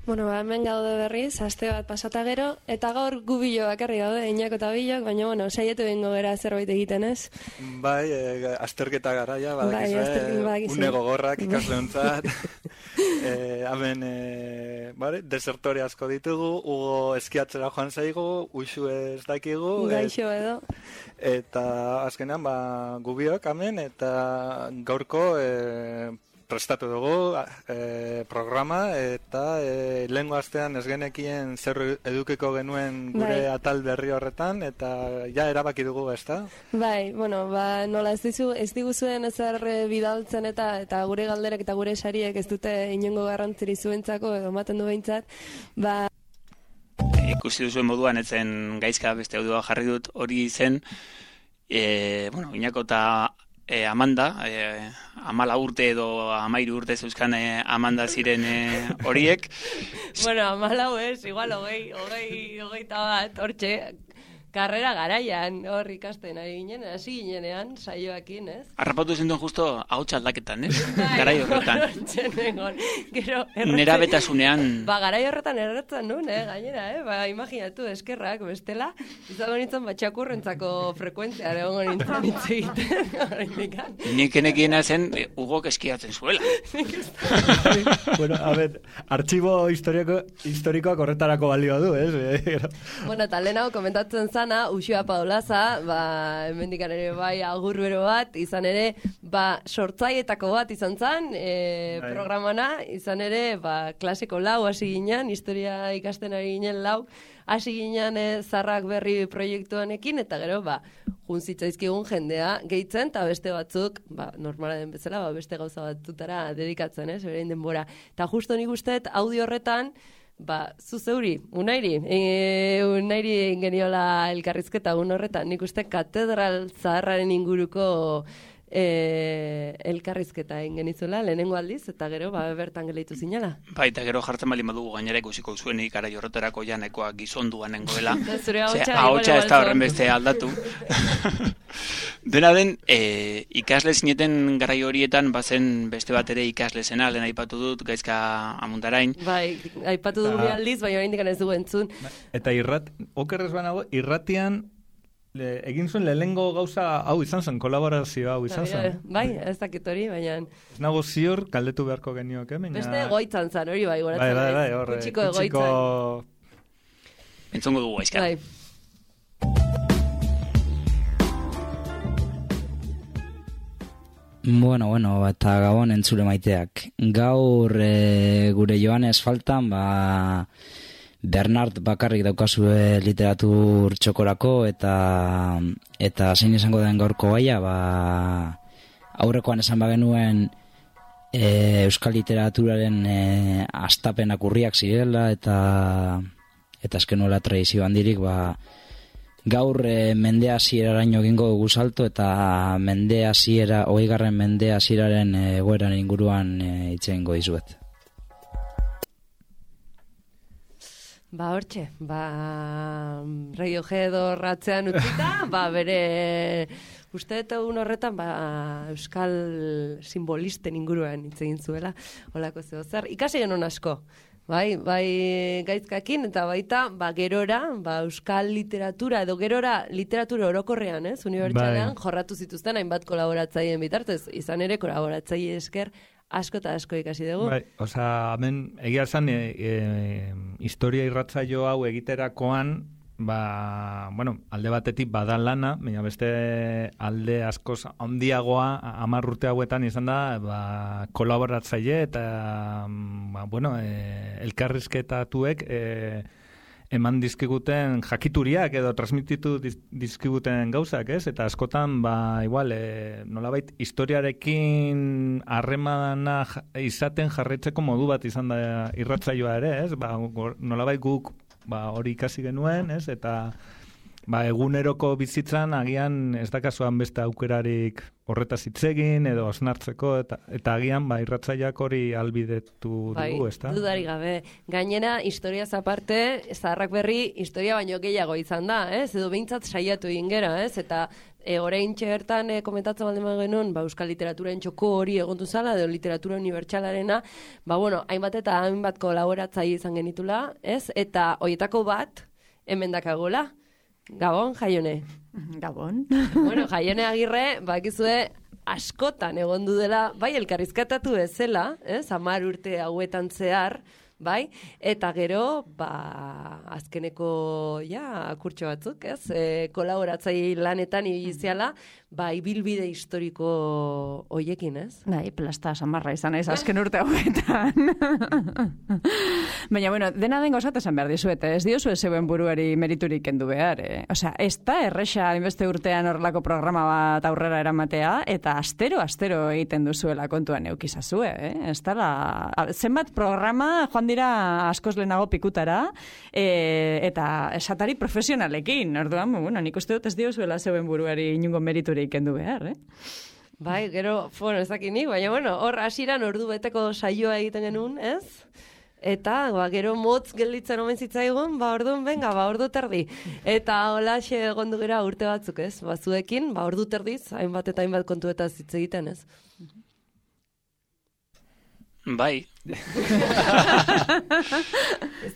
Bueno, ba, hemen gaude berriz, aste bat pasata gero, eta gaur gubilo bakarri gaude, Iñako eta Bilok, baina, bueno, saietu bengo gara zerbait egiten, ez? Bai, e, azterketa garaia, badakizue, bai, une gogorrak ikasleontzat. e, hemen, e, bale, desertore asko ditugu, Hugo eskiatzera joan zaigu, Uxu ez dakigu. Gaixo edo. Eta azkenean, ba, gubiok hemen, eta gaurko... E, prestatu dugu e, programa eta e, lehengo astean ez genekien zer edukiko genuen gure bai. Atal berri horretan eta ja erabaki dugu, ezta? Bai, bueno, ba, nola ez dizu, ez diguzuen ezer bidaltzen eta eta gure galderek eta gure sariek ez dute inongo garrantziri zuentzako edo ematen du behintzat, ba... Ikusi duzuen moduan etzen Gaizka beste audioa jarri dut hori zen, e, bueno, Iñako eta E, Amanda, e, amala urte edo amairu urte zeuzkan e, Amanda ziren horiek. E, bueno, amala ez, igual hogei, hogei, hogei eta bat, hortxe, karrera garaian, hor ikasten ari ginen, hasi ginenean, saioakin, ez? Arrapatu zenduen justo ahots aldaketan, ez? Garai horretan. Gero, nera betasunean... Ba, garai horretan erretzen nuen, eh, gainera, eh? Ba, imaginatu, eskerrak, bestela, izango nintzen batxakurrentzako frekuentzia, egongo nintzen hitz egiten. Nik enekiena zen, Hugok eskiatzen zuela. Bueno, a ver, artxibo historikoak horretarako balio du, ez? Bueno, eta lehenago komentatzen zana, Uxua Paulaza, ba, hemendikan ere bai agur bero bat, izan ere, ba, sortzaietako bat izan zan, e, programana, izan ere, ba, klaseko lau hasi ginen, historia ikasten ari ginen lau, hasi ginen e, Zarrak Berri proiektuanekin, eta gero, ba, juntzitzaizkigun jendea gehitzen, eta beste batzuk, ba, normala den bezala, ba, beste gauza batzutara dedikatzen, ez, berein denbora. Eta justo nik usteet, audio horretan, ba, zu zeuri, unairi, e, unairi geniola elkarrizketa un horretan, nik uste katedral zaharraren inguruko e, elkarrizketa egin genizuela, lehenengo aldiz, eta gero, ba, bertan geleitu zinela. Ba, eta gero jartzen bali madugu gainera ikusiko zuenik ara jorreterako janekoa gizonduan nengoela. Zure ahotsa ez da horren beste aldatu. Dena den, e, ikasle zineten garai horietan, bazen beste bat ere ikasle zena, lehen aipatu dut, Gaizka Amuntarain. Bai, aipatu du bi aldiz, baina oraindik ez dugu entzun. Eta irrat, okerrez banago, irratian le, egin zuen lehenengo gauza hau izan zen, kolaborazio hau izan zen. Bai, ez dakit hori, baina... Ez nago ziur, galdetu beharko genioak, eh? Baina... Beste egoitzan zan, hori bai, goratzen. Bai, bai, bai, horre, kutsiko egoitzan. Entzongo dugu, Gaizka. Bai. Bueno, bueno, eta gabon entzule maiteak. Gaur e, gure Joanes faltan, ba, Bernard bakarrik daukazue literatur txokorako, eta eta zein izango den gaurko gaia, ba, aurrekoan esan bagenuen e, euskal literaturaren e, astapenak urriak zirela, eta eta eskenuela tradizio handirik, ba, gaur e, mende hasieraraino egingo dugu salto, eta mende hasiera, hogeigarren mende hasieraren egoeran inguruan hitz egingo dizuet. Ba, hortxe, ba, Radiohead horratzean utzita, ba, bere, uste eta egun horretan, ba, euskal simbolisten inguruan hitz egin zuela, holako zeo zer, ikasi genuen asko. Bai, bai Gaizkakin, eta baita, ba, gerora, ba, euskal literatura, edo gerora literatura orokorrean, ez, unibertsalean, bai, jorratu zituzten hainbat kolaboratzaien bitartez, izan ere kolaboratzaile esker asko eta asko ikasi dugu. Bai, osea, hemen, egia esan, e, e, historia irratzaio hau egiterakoan, ba, bueno, alde batetik bada lana, baina beste alde askoz handiagoa hamar urte hauetan izan da, ba, kolaboratzaile eta, ba, bueno, e, elkarrizketatuek e, eman dizkiguten jakituriak edo transmititu dizkiguten gauzak, ez? Eta askotan, ba, igual, e, nolabait historiarekin harremana izaten jarraitzeko modu bat izan da irratzaioa ere, ez? Ba, nolabait guk ba, hori ikasi genuen, ez? Eta ba, eguneroko bizitzan agian ez dakasuan beste aukerarik horretaz hitz egin edo osnartzeko, eta, eta agian ba, irratzaileak hori albidetu bai, bai, dugu, ezta? Dudari gabe. Gainera, historiaz aparte, Zaharrak Berri historia baino gehiago izan da, ez? Edo behintzat saiatu egin gera, ez? Eta e, oraintxe bertan e, komentatzen baldin genuen, ba, euskal literaturen txoko hori egontu zala, edo literatura unibertsalarena, ba, bueno, hainbat eta hainbat kolaboratzaile izan genitula, ez? Eta hoietako bat, hemen dakagola. Gabon, Jaione. Gabon. Bueno, Jaione Agirre, bakizue askotan egon du dela, bai, elkarrizketatu bezala, ez, hamar urte hauetan zehar, bai, eta gero, ba, azkeneko, ja, kurtxo batzuk, ez, e, kolaboratzaile lanetan ibiziala, ba, ibilbide historiko hoiekin, ez? Bai, plasta samarra izan ez, azken urte hauetan. Baina, bueno, dena den gauzat esan behar dizuet, ez diozu zeuen buruari meriturik kendu behar, eh? Osea, ez da erresa inbeste urtean horrelako programa bat aurrera eramatea, eta astero, astero egiten duzuela kontuan eukizazue, eh? Ez da, zenbat programa joan dira askoz lehenago pikutara, e, eta esatari profesionalekin, orduan, bueno, nik uste dut ez diozuela zeuen buruari inungo meriturik kendu behar, eh? Bai, gero, bueno, ez dakinik, baina, bueno, hor hasiran ordu beteko saioa egiten genuen, ez? Eta, ba, gero motz gelditzen omen zitzaigun, ba, orduan, venga, ba, ordu terdi. Eta holaxe egondu gera urte batzuk, ez? Ba, zuekin, ba, ordu terdiz, hainbat eta hainbat kontuetaz hitz egiten, ez? Bai,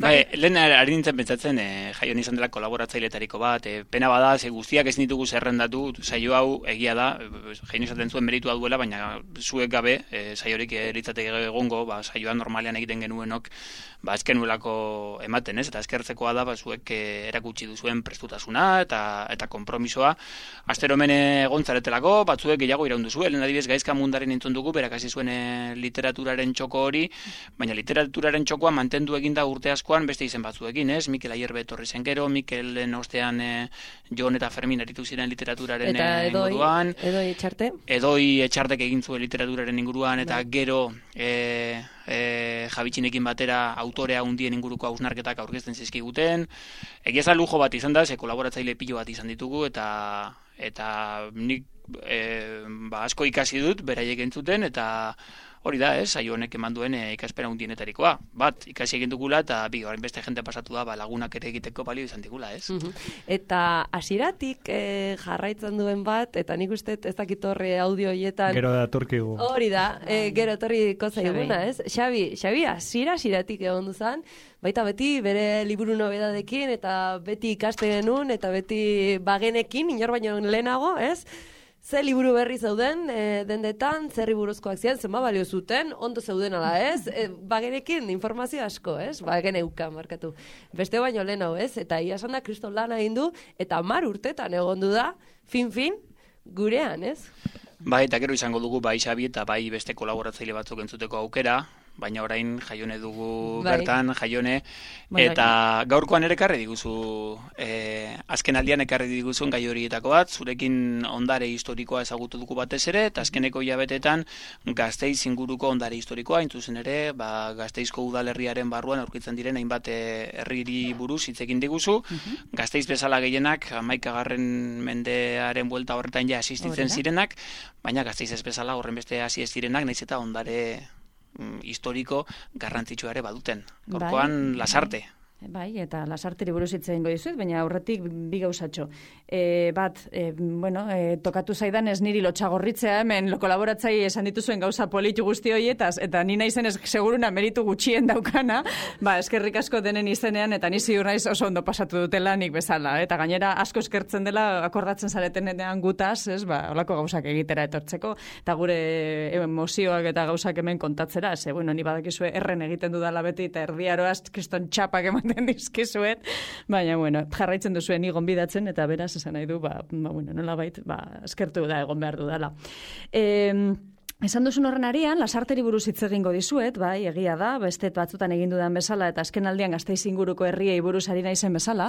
Bai, lehen ari nintzen pentsatzen, e, Jaion izan dela kolaboratzailetariko bat, e, pena bada, ze guztiak ez ditugu zerrendatu, saio hau egia da, Jaion izaten zuen meritua duela, baina zuek gabe, e, saiorik eritzateke egongo, ba, saioa normalean egiten genuenok, ba, ezkenuelako ematen, ez? Eta eskertzekoa da, ba, zuek e, erakutsi duzuen prestutasuna eta eta konpromisoa. Astero hemen egon zaretelako, batzuek gehiago iraundu zuen, adibidez Gaizka Mundaren entzun dugu, berak hasi zuen e, literaturaren txoko hori, baina literaturaren txokoa mantendu eginda urte askoan beste izen batzuekin, ez? Mikel Ayerbe etorri zen gero, Mikelen ostean e, Jon eta Fermin aritu ziren literaturaren eta edoi, inguruan. Edoi Etxarte. Edoi Etxartek egin zuen literaturaren inguruan, eta gero e, e, Jabitxinekin batera autorea hundien inguruko hausnarketak aurkezten zizkiguten. Egia esan lujo bat izan da, ze kolaboratzaile pilo bat izan ditugu, eta eta nik e, ba, asko ikasi dut, beraiek entzuten, eta hori da, ez, saio honek eman duen e, ikaspera hundienetarikoa. Bat, ikasi egin dugula, eta bi, orain beste jente pasatu da, ba, lagunak ere egiteko balio izan digula, ez? Eta hasieratik e, jarraitzen duen bat, eta nik uste ez dakit horre audio hoietan... Gero da turkigu. Hori da, e, gero torriko zaiguna, ez? Xabi, Xabi, hasiera hasieratik egon duzan, baita beti bere liburu nobedadekin, eta beti ikaste genuen, eta beti bagenekin, inor baino lehenago, ez? Ze liburu berri zeuden, e, dendetan, zerri buruzkoak ziren, zenba balio zuten, ondo zeuden ala, ez? E, bagenekin informazio asko, ez? Bageneuka, markatu. Beste baino lehen hau, ez? Eta ia esan da, kriston lan egin du, eta mar urtetan egondu da, fin-fin, gurean, ez? Bai, eta gero izango dugu, bai Xabi eta bai beste kolaboratzaile batzuk entzuteko aukera, baina orain Jaione dugu bai. Bertan, Jaione, bai, eta bai. Gaurkoan ere ekarri diguzu, e, azken aldian ekarri diguzun gai horietako bat, zurekin ondare historikoa ezagutu dugu batez ere, eta azkeneko hilabetetan Gasteiz inguruko ondare historikoa, intzuzen ere, ba, Gasteizko udalerriaren barruan aurkitzen diren hainbat herriri buruz hitz egin diguzu, uh-huh. Gasteiz bezala gehienak, hamaikagarren mendearen buelta horretan ja asistitzen zirenak, baina Gasteiz ez bezala horren beste hasi ez zirenak, naiz eta ondare historiko garrantzitsua ere baduten. Gaurkoan bai, Lasarte. Bai, eta Lasarteri buruz hitz egingo dizuet, baina aurretik bi gauzatxo. E, bat, e, bueno, e, tokatu zaidan ez niri lotxagorritzea hemen kolaboratzaile esan dituzuen gauza politu guzti horietaz, eta ni naizen ez seguruna meritu gutxien daukana, ba, eskerrik asko denen izenean, eta ni ziur naiz oso ondo pasatu dutela nik bezala, eta gainera asko eskertzen dela akordatzen zaretenean gutaz, ez, ba, olako gauzak egitera etortzeko, eta gure emozioak eta gauzak hemen kontatzera, ze, bueno, ni badakizue erren egiten dudala beti, eta erdiaroaz kriston txapak ematen dizkizuet, baina, bueno, jarraitzen duzuen igon bidatzen, eta beraz, esan nahi du, ba, ba bueno, nola bait, ba, eskertu da, egon behar dudala. Eh, Esan duzun horren arian, Lasarteri buruz hitz egingo dizuet, bai, egia da, beste batzutan egin dudan bezala, eta azken aldian Gasteiz inguruko herriei buruz ari naizen bezala,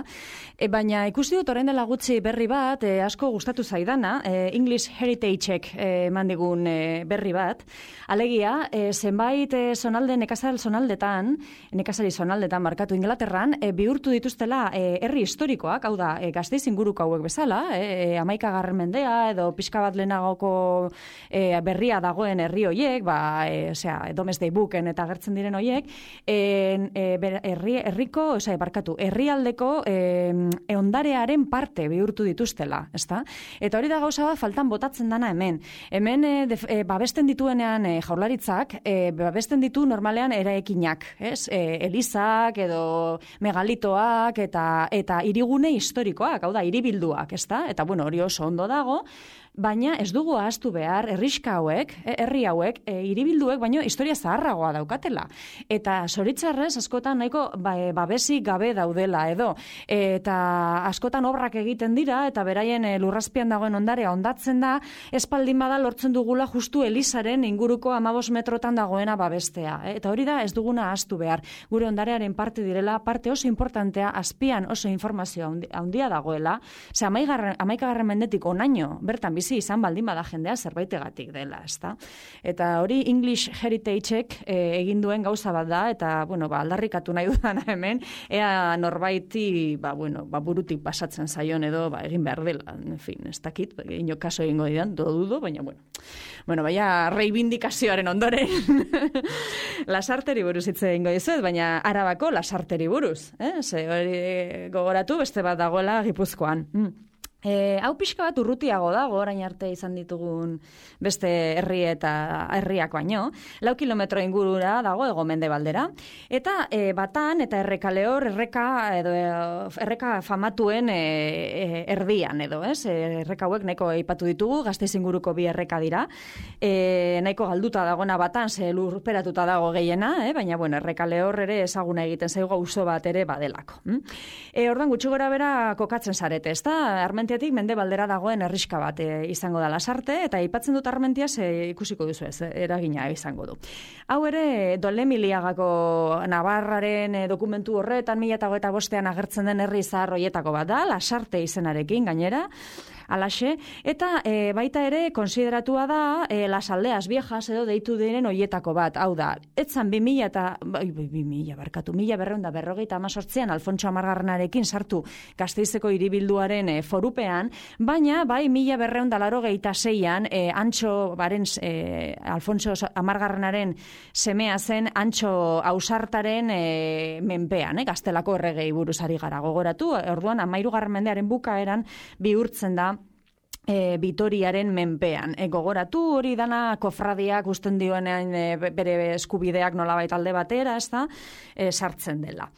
e, baina ikusi dut orain dela gutxi berri bat, e, asko gustatu zaidana, e, English Heritage-ek eman e, digun e, berri bat, alegia, e, zenbait e, zonalde, nekazal zonaldetan, nekazari zonaldetan markatu Inglaterran, e, bihurtu dituztela e, herri historikoak, hau da, e, Gasteiz inguruko hauek bezala, e, hamaikagarren mendea, edo pixka bat lehenagoko e, berria dago herri hoiek, ba, e, osea, Domesday Booken eta agertzen diren hoiek, e, herri, herriko, osea, barkatu, herrialdeko e, ondarearen parte bihurtu dituztela, ezta? Eta hori da gauza bat faltan botatzen dana hemen. Hemen e, def, e, babesten dituenean e, jaurlaritzak, e, babesten ditu normalean eraekinak, ez? E, elizak edo megalitoak eta eta hirigune historikoak, hau da, hiribilduak, ezta? Eta bueno, hori oso ondo dago, baina ez dugu ahaztu behar herriska hauek, herri hauek, e, hiribilduek, baino historia zaharragoa daukatela. Eta zoritzarrez askotan nahiko ba, babesik gabe daudela edo. Eta askotan obrak egiten dira eta beraien e, lurrazpian dagoen ondarea ondatzen da, espaldin bada lortzen dugula justu Elizaren inguruko hamabost metrotan dagoena babestea. E, eta hori da ez duguna ahaztu behar. Gure ondarearen parte direla, parte oso importantea, azpian oso informazio handia dagoela, ze hamaikagarren mendetik onaino, bertan bizi izan baldin bada jendea zerbaitegatik dela, ezta? Eta hori English Heritage-ek e, egin duen gauza bat da, eta, bueno, ba, aldarrikatu nahi dudana hemen, ea norbaiti, ba, bueno, ba, burutik pasatzen zaion edo, ba, egin behar dela, en fin, ez dakit, ino kaso egingo didan, do dudo, baina, bueno, bueno, baina reivindikazioaren ondoren, Lasarteri buruz hitz egingo dizuet, baina Arabako Lasarteri buruz, eh? Ze hori gogoratu, beste bat dagoela Gipuzkoan. Mm. E, hau pixka bat urrutiago dago, orain arte izan ditugun beste herri eta herriak baino, lau kilometro ingurura dago ego mendebaldera, eta e, batan eta errekale hor erreka edo erreka famatuen e, e, erdian edo, ez? Erreka hauek nahiko aipatu ditugu, Gasteiz inguruko bi erreka dira, e, nahiko galduta dagoena batan, ze lurperatuta dago gehiena, eh? Baina bueno, errekale hor ere ezaguna egiten zaigu auzo bat ere badelako. Hm? E, ordan gutxi gora bera kokatzen zarete, ezta? Armentia mende baldera dagoen herriska bat e, izango da Lasarte, eta aipatzen dut Armentiaz e, ikusiko duzu ez, eragina izango du. Hau ere, Dolemiliagako Navarraren e, dokumentu horretan mila eta hogeita bostean agertzen den herri zahar hoietako bat da, Lasarte izenarekin gainera, alaxe, eta e, baita ere konsideratua da e, Las Aldeas Viejas edo deitu diren hoietako bat, hau da, etzan bi mila eta, bai, bi mila, barkatu, mila berreunda berrogeita amazortzian Alfontso Amargarrenarekin sartu Gasteizeko hiribilduaren e, forupean, baina bai mila berreunda larogeita zeian e, Antxo baren e, Alfontso Amargarrenaren semea zen Antxo Ausartaren e, menpean, e, Gaztelako erregei buruz ari gara gogoratu, orduan amairugarren mendearen bukaeran bihurtzen da E, Vitoriaren menpean. E, gogoratu hori dana kofradiak usten dioenean e, bere eskubideak nolabait alde batera, ez da, e, sartzen dela.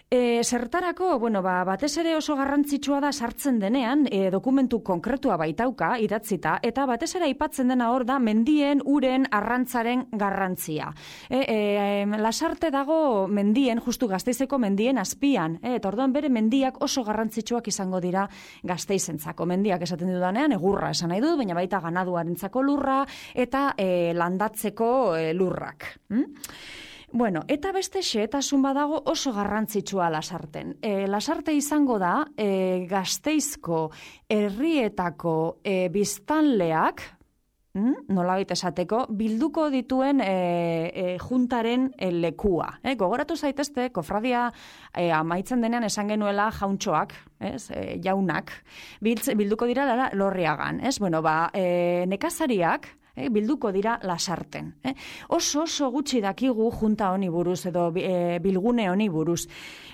E, zertarako, bueno, ba, batez ere oso garrantzitsua da sartzen denean, e, dokumentu konkretua baitauka, idatzita, eta batez ere aipatzen dena hor da mendien, uren, arrantzaren garrantzia. E, e, Lasarte dago mendien, justu Gasteizeko mendien azpian, e, eta orduan bere mendiak oso garrantzitsuak izango dira Gasteizentzako. Mendiak esaten dudanean, egurra esan nahi dut, baina baita ganaduarentzako lurra, eta e, landatzeko e, lurrak. Hm? Bueno, eta beste xehetasun badago oso garrantzitsua Lasarten. E, Lasarte izango da e, Gasteizko herrietako e, biztanleak, mm, nolabait esateko, bilduko dituen e, e, juntaren e, lekua. E, gogoratu zaitezte, kofradia e, amaitzen denean esan genuela jauntxoak, ez, e, jaunak, biltz, bilduko dira Lorriagan. Ez? Bueno, ba, e, nekazariak, Eh, bilduko dira Lasarten. Eh? Oso oso gutxi dakigu junta honi buruz edo e, bilgune honi buruz.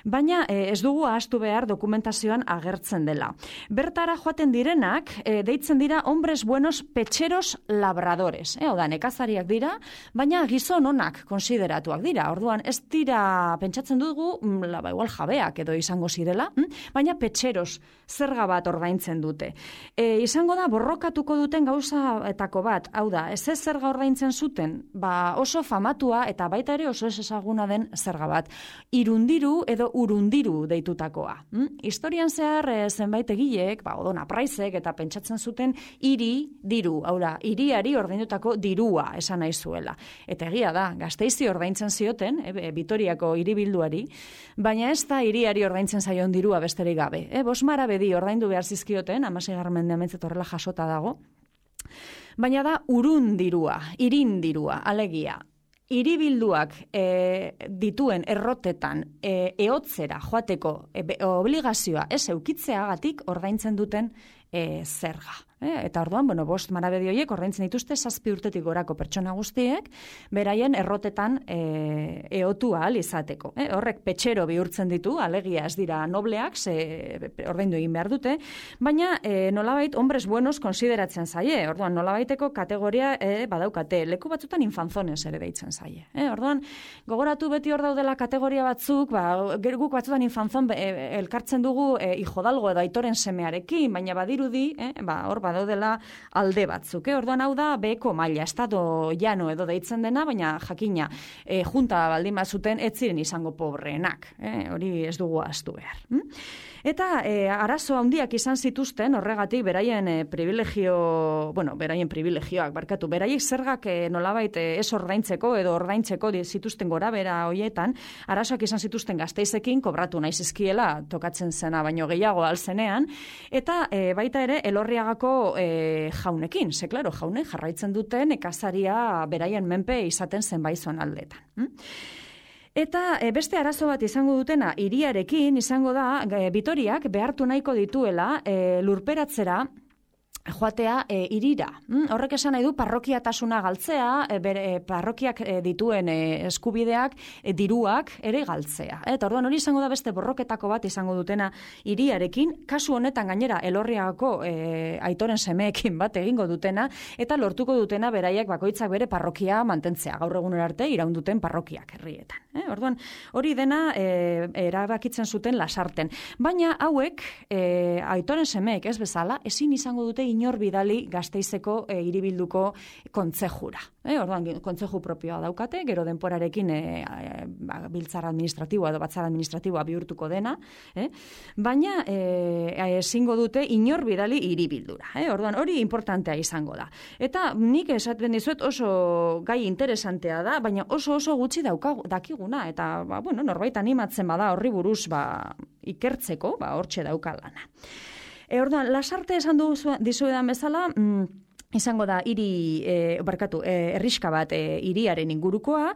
Baina e, ez dugu ahaztu behar dokumentazioan agertzen dela. Bertara joaten direnak e, deitzen dira hombres buenos pecheros labradores. Eh? Oda, nekazariak dira, baina gizon onak konsideratuak dira. Orduan ez dira, pentsatzen dugu, la, ba, igual jabeak edo izango zirela, hm? Baina pecheros zerga bat ordaintzen dute. E, izango da borrokatuko duten gauzaetako bat, hau da, ez ez zerga ordaintzen zuten, ba oso famatua eta baita ere oso ez ezaguna den zerga bat. Irundiru edo urundiru deitutakoa. Hm? Historian zehar e, zenbait egilek, ba, Odona Praizek eta pentsatzen zuten hiri diru, hau da, hiriari ordaindutako dirua esan nahi zuela. Eta egia da, Gasteizi ordaintzen zioten, e, Vitoriako hiribilduari, baina ez da hiriari ordaintzen zaion dirua besterik gabe. E, Bosmara bedi ordaindu behar zizkioten, hamaseigarren mendean mentzat horrela jasota dago. Baina da urundirua, irindirua, alegia. Hiribilduak e, dituen errotetan e, ehotzera joateko e, obligazioa ez eukitzeagatik ordaintzen duten e, zerga. E, eta orduan, bueno, bost marabedi horiek ordaintzen dituzte zazpi urtetik gorako pertsona guztiek, beraien errotetan e, ehotu ahal izateko. E, horrek petxero bihurtzen ditu, alegia ez dira nobleak, ze ordaindu egin behar dute, baina e, nolabait hombres buenos konsideratzen zaie. Orduan, nolabaiteko kategoria e, badaukate, leku batzutan infanzones ere deitzen zaie. E, orduan, gogoratu beti hor daudela kategoria batzuk, ba, guk batzutan infanzon e, elkartzen dugu e, hijodalgo edo aitoren semearekin, baina badirudi, e, ba, hor badaudela alde batzuk. Eh? Orduan hau da beheko maila, estado llano edo deitzen dena, baina jakina e, junta baldin bazuten ez ziren izango pobreenak. Eh? Hori ez dugu ahaztu behar. Hm? Eta e, arazo handiak izan zituzten horregatik beraien e, privilegio, bueno, beraien privilegioak, barkatu, beraiek zergak e, nolabait e, ez ordaintzeko edo ordaintzeko zituzten gora bera hoietan, arazoak izan zituzten Gasteizekin, kobratu nahi zizkiela, tokatzen zena baino gehiago alzenean, eta e, baita ere Elorriagako e, jaunekin, ze klaro, jaune jarraitzen duten ekazaria beraien menpe izaten zenbaizuan aldetan. Hm? Eta e, beste arazo bat izango dutena hiriarekin izango da e, Vitoriak behartu nahiko dituela e, lurperatzera joatea e, irira. Mm? Horrek esan nahi du parrokiatasuna galtzea, e, bere, e, parrokiak e, dituen e, eskubideak, e, diruak ere galtzea. Eta orduan hori izango da beste borroketako bat izango dutena hiriarekin, kasu honetan gainera Elorriagako e, aitoren semeekin bat egingo dutena, eta lortuko dutena beraiek bakoitzak bere parrokia mantentzea, gaur egunera arte iraunduten parrokiak herrietan. Eh? Orduan hori dena e, erabakitzen zuten Lasarten. Baina hauek, e, aitoren semeek ez bezala, ezin izango dute inor bidali Gasteizeko e, hiribilduko kontzejura. Eh, orduan, kontzeju propioa daukate, gero denporarekin e, e, ba, biltzar administratiboa edo batzar administratiboa bihurtuko dena, eh? Baina e, ezingo dute inor bidali hiribildura. Eh? Orduan, hori importantea izango da. Eta nik esaten dizuet oso gai interesantea da, baina oso oso gutxi daukagu, dakiguna, eta ba, bueno, norbait animatzen bada horri buruz ba, ikertzeko, ba, hortxe daukalana. E, orduan, Lasarte esan duzu, dizuedan bezala, mm, izango da hiri e, barkatu e, herriska bat e, hiriaren ingurukoa,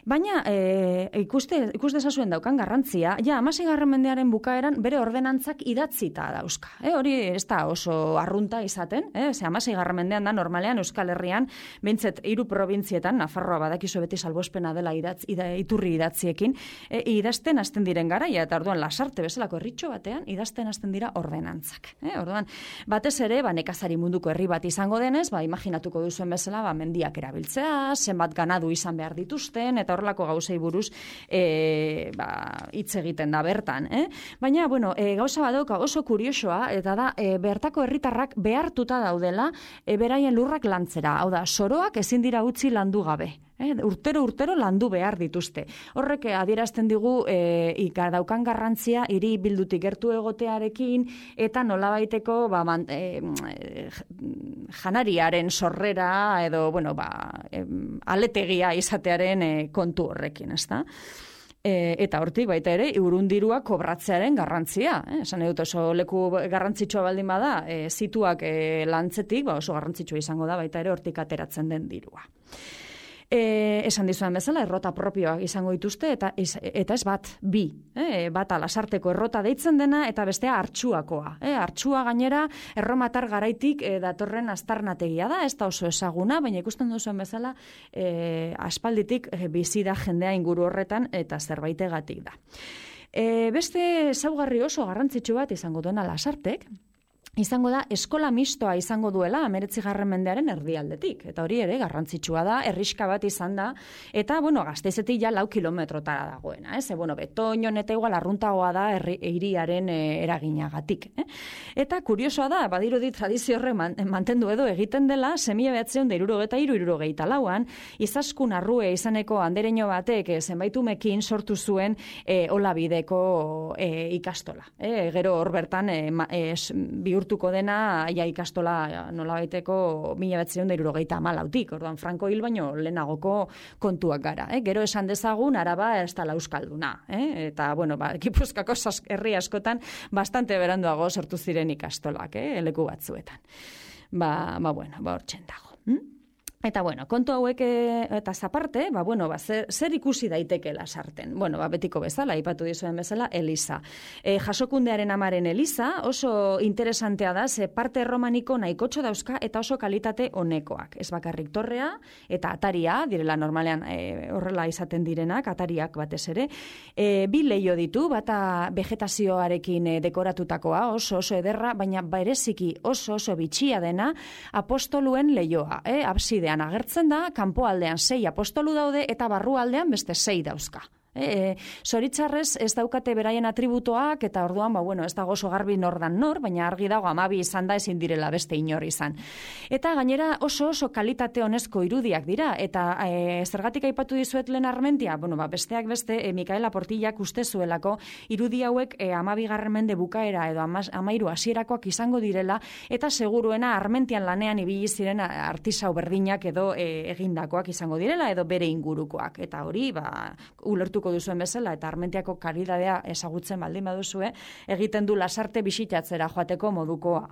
baina e, ikuste ikus dezazuen daukan garrantzia, ja hamaseigarren mendearen bukaeran bere ordenantzak idatzita dauzka. E, hori ez da oso arrunta izaten, eh? Ze hamaseigarren mendean da normalean Euskal Herrian behintzet hiru probintzietan, Nafarroa badakizu beti salbuespena dela idatz, ida, iturri idatziekin, e, idazten hasten diren garaia, eta orduan Lasarte bezalako herritxo batean idazten hasten dira ordenantzak. Eh? Orduan, batez ere, ba, nekazari munduko herri bat izango denez, ba, imaginatuko duzuen bezala, ba, mendiak erabiltzea, zenbat ganadu izan behar dituzten, eta horrelako gauzei buruz e, ba, hitz egiten da bertan. Eh? Baina, bueno, e, gauza badauka oso kuriosoa, eta da, e, bertako herritarrak behartuta daudela, e, beraien lurrak lantzera. Hau da, soroak ezin dira utzi landu gabe. Eh, urtero urtero landu behar dituzte. Horrek adierazten digu e, ika daukan garrantzia hiri bildutik gertu egotearekin eta nolabaiteko ba, man, e, janariaren sorrera edo bueno, ba, e, aletegia izatearen e, kontu horrekin, ezta? E, eta hortik baita ere urundirua kobratzearen garrantzia. Eh? Esan edut oso leku garrantzitsua baldin bada, e, zituak e, lantzetik, ba, oso garrantzitsua izango da baita ere hortik ateratzen den dirua. E, esan dizuan bezala, errota propioak izango dituzte, eta, eta ez bat, bi. E, bata Lasarteko errota deitzen dena, eta bestea Artxuakoa. E, Artxua gainera, erromatar garaitik e, datorren aztarnategia da, ez da oso ezaguna, baina ikusten duzuen bezala, e, aspalditik e, bizi da jendea inguru horretan, eta zerbaitegatik da. E, beste ezaugarri oso garrantzitsu bat izango duena Lasartek, izango da eskola mistoa izango duela hemeretzigarren mendearen erdialdetik. Eta hori ere garrantzitsua da, herriska bat izan da, eta, bueno, Gasteizetik ja lau kilometrotara dagoena. Ez? E, bueno, Betoñon eta igual arruntagoa da hiriaren e, eraginagatik. Eh? Eta kuriosoa da, badirudi tradizio horre man, mantendu edo egiten dela, semia behatzeun da irurogeta iru irurogeita lauan, izaskun arrue izaneko andereño batek e, zenbaitumekin sortu zuen e, olabideko e, ikastola. E, gero hor bertan e, ma, e, bihurtu dena ja ikastola nolabaiteko mila batziehun eta hirurogeita hamalautik, orduan Franko hil baino lehenagoko kontuak gara. Eh? Gero esan dezagun Araba ez dela euskalduna. Eh? Eta, bueno, ba, Gipuzkoako herri askotan bastante beranduago sortu ziren ikastolak, eh? Leku batzuetan. Ba, ba bueno, ba hortzen dago. Hm? Eta, bueno, kontu hauek eta zaparte, ba, bueno, ba, zer, zer ikusi daiteke Lasarten? Bueno, ba, betiko bezala, aipatu dizuen bezala, Eliza. E, jasokundearen amaren Eliza oso interesantea da, ze parte romaniko nahikotxo dauzka eta oso kalitate honekoak. Ez bakarrik torrea eta ataria, direla normalean e, horrela izaten direnak, atariak batez ere. E, bi leio ditu, bata vegetazioarekin e, dekoratutakoa, oso oso ederra, baina bereziki oso oso bitxia dena apostoluen leioa, eh, abside agertzen da, kanpoaldean sei apostolu daude eta barrualdean beste sei dauzka. E, zoritzarrez ez daukate beraien atributoak eta orduan, ba, bueno, ez dago oso garbi nordan nor, baina argi dago amabi izan da ezin direla beste inor izan. Eta gainera oso oso kalitate honezko irudiak dira, eta e, zergatik aipatu dizuet lehen Armentia, bueno, ba, besteak beste, e, Mikaela Portillak uste zuelako irudi hauek e, amabigarren mende bukaera edo ama, amairu hasierakoak izango direla, eta seguruena Armentian lanean ibili ziren artisau berdinak edo e, egindakoak izango direla, edo bere ingurukoak. Eta hori, ba, ulertuko ezagutuko duzuen bezala, eta Armentiako karidadea ezagutzen baldin baduzue, egiten du Lasarte bisitatzera joateko modukoa.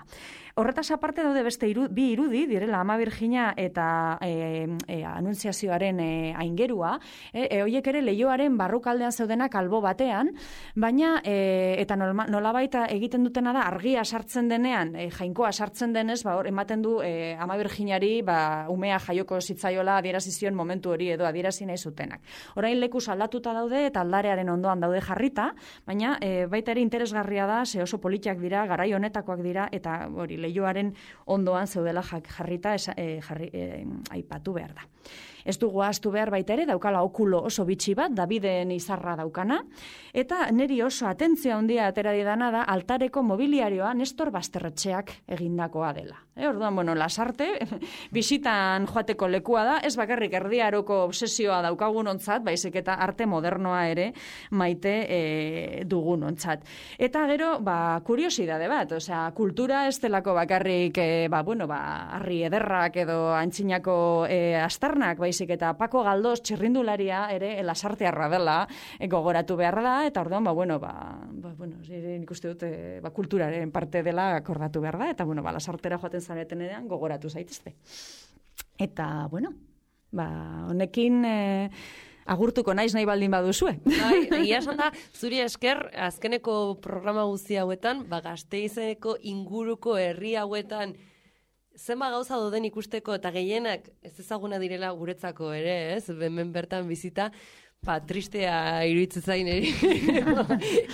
Horretaz aparte daude beste iru, bi irudi, direla Ama Virgina eta e, e, anuntziazioaren e, aingerua, e, e, oiek ere Leioaren barrukaldean zeudenak albo batean, baina e, eta nolabait egiten dutena da argia sartzen denean, e, jainkoa sartzen denez, ba, hor, ematen du e, Ama Virginari ba, umea jaioko zitzaiola adierazizion momentu hori edo adierazi nahi zutenak. Orain lekuz aldatuta daude eta aldarearen ondoan daude jarrita, baina e, baita ere interesgarria da, ze oso politiak dira, garai honetakoak dira, eta hori Leioaren ondoan zeudela jarrita esa, e, jarri, e, aipatu behar da. Ez dugu ahaztu behar baita ere, daukala okulo oso bitxi bat, Daviden izarra daukana, eta niri oso atentzio handia atera didana da altareko mobiliarioa Nestor Basterretxeak egindakoa dela. E, orduan, bueno, Lasarte, bisitan joateko lekua da, ez bakarrik erdiaroko obsesioa daukagunontzat, baizik eta arte modernoa ere maite e, dugunontzat. Eta gero, ba, kuriosidade bat, osea, kultura ez delako bakarrik, e, ba, bueno, ba, arri ederrak edo antzinako e, astarnak, baizik eta Paco Galdós txirrindularia ere Lasartearra dela, e, gogoratu behar da, eta orduan, ba, bueno, ba, ba, bueno, nik uste dut, e, ba, kulturaren parte dela akordatu behar da, eta, bueno, ba, Lasartera joaten zareten edean gogoratu zaitezte. Eta, bueno, ba, honekin e, agurtuko naiz nahi baldin baduzue. Bai, egia esan da, zuri esker, azkeneko programa guzti hauetan, ba, Gasteizeko inguruko herri hauetan zenba gauza doden ikusteko eta gehienak ez ezaguna direla guretzako ere, ez? Hemen bertan bizita, ba, tristea iruditzen zain eri,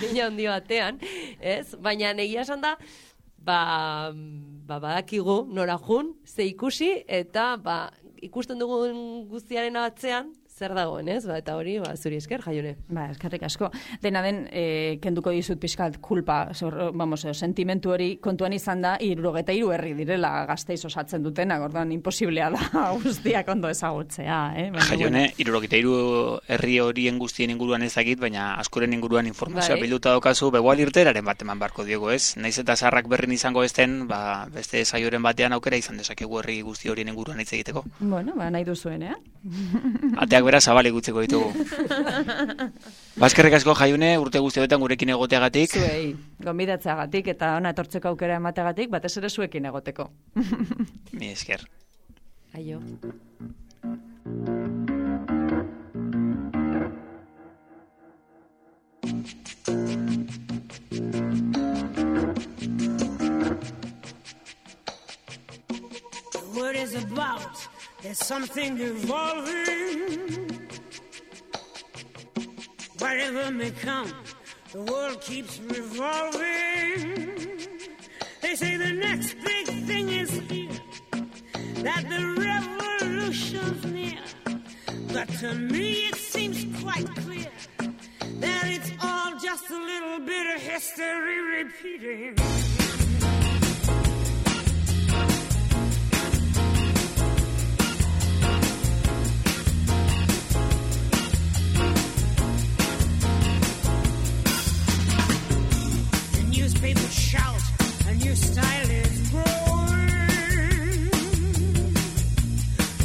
nina handi batean, ez? Baina egia esan da, ba, ba, badakigu nora jun, ze ikusi, eta ba, ikusten dugun guztiaren atzean, zer dagoen, ez? Ba, eta hori, ba, zuri esker, Jaione. Ba, eskerrik asko. Dena den, e, kenduko dizut pixkat kulpa, zor, vamos, sentimentu hori kontuan izan da, irurogeta hiru herri direla Gasteiz osatzen dutena, orduan imposiblea da guztiak ondo ezagutzea. Eh? Jaione, irurogeta hiru herri horien guztien inguruan ezagit, baina askoren inguruan informazioa bai. Bilduta daukazu, begoal irteraren bat eman barko diego, ez? Naiz eta Zaharrak Berrin izango ezten, ba, beste saioren batean aukera izan dezakegu herri guzti horien inguruan hitz egiteko. Bueno, ba, nahi duzuenean. Ateak bera zabale gutzeko ditugu. Baskerrik asko Jaiune, urte guztietan gurekin egoteagatik. Zuei, gonbidatzeagatik eta ona etortzeko aukera emateagatik, batez ere zuekin egoteko. Mi esker. Aio. The word is about, there's something evolving. Whatever may come, the world keeps revolving. They say the next big thing is here, that the revolution's near. But to me it seems quite clear that it's all just a little bit of history repeating. People shout, a new style is growing,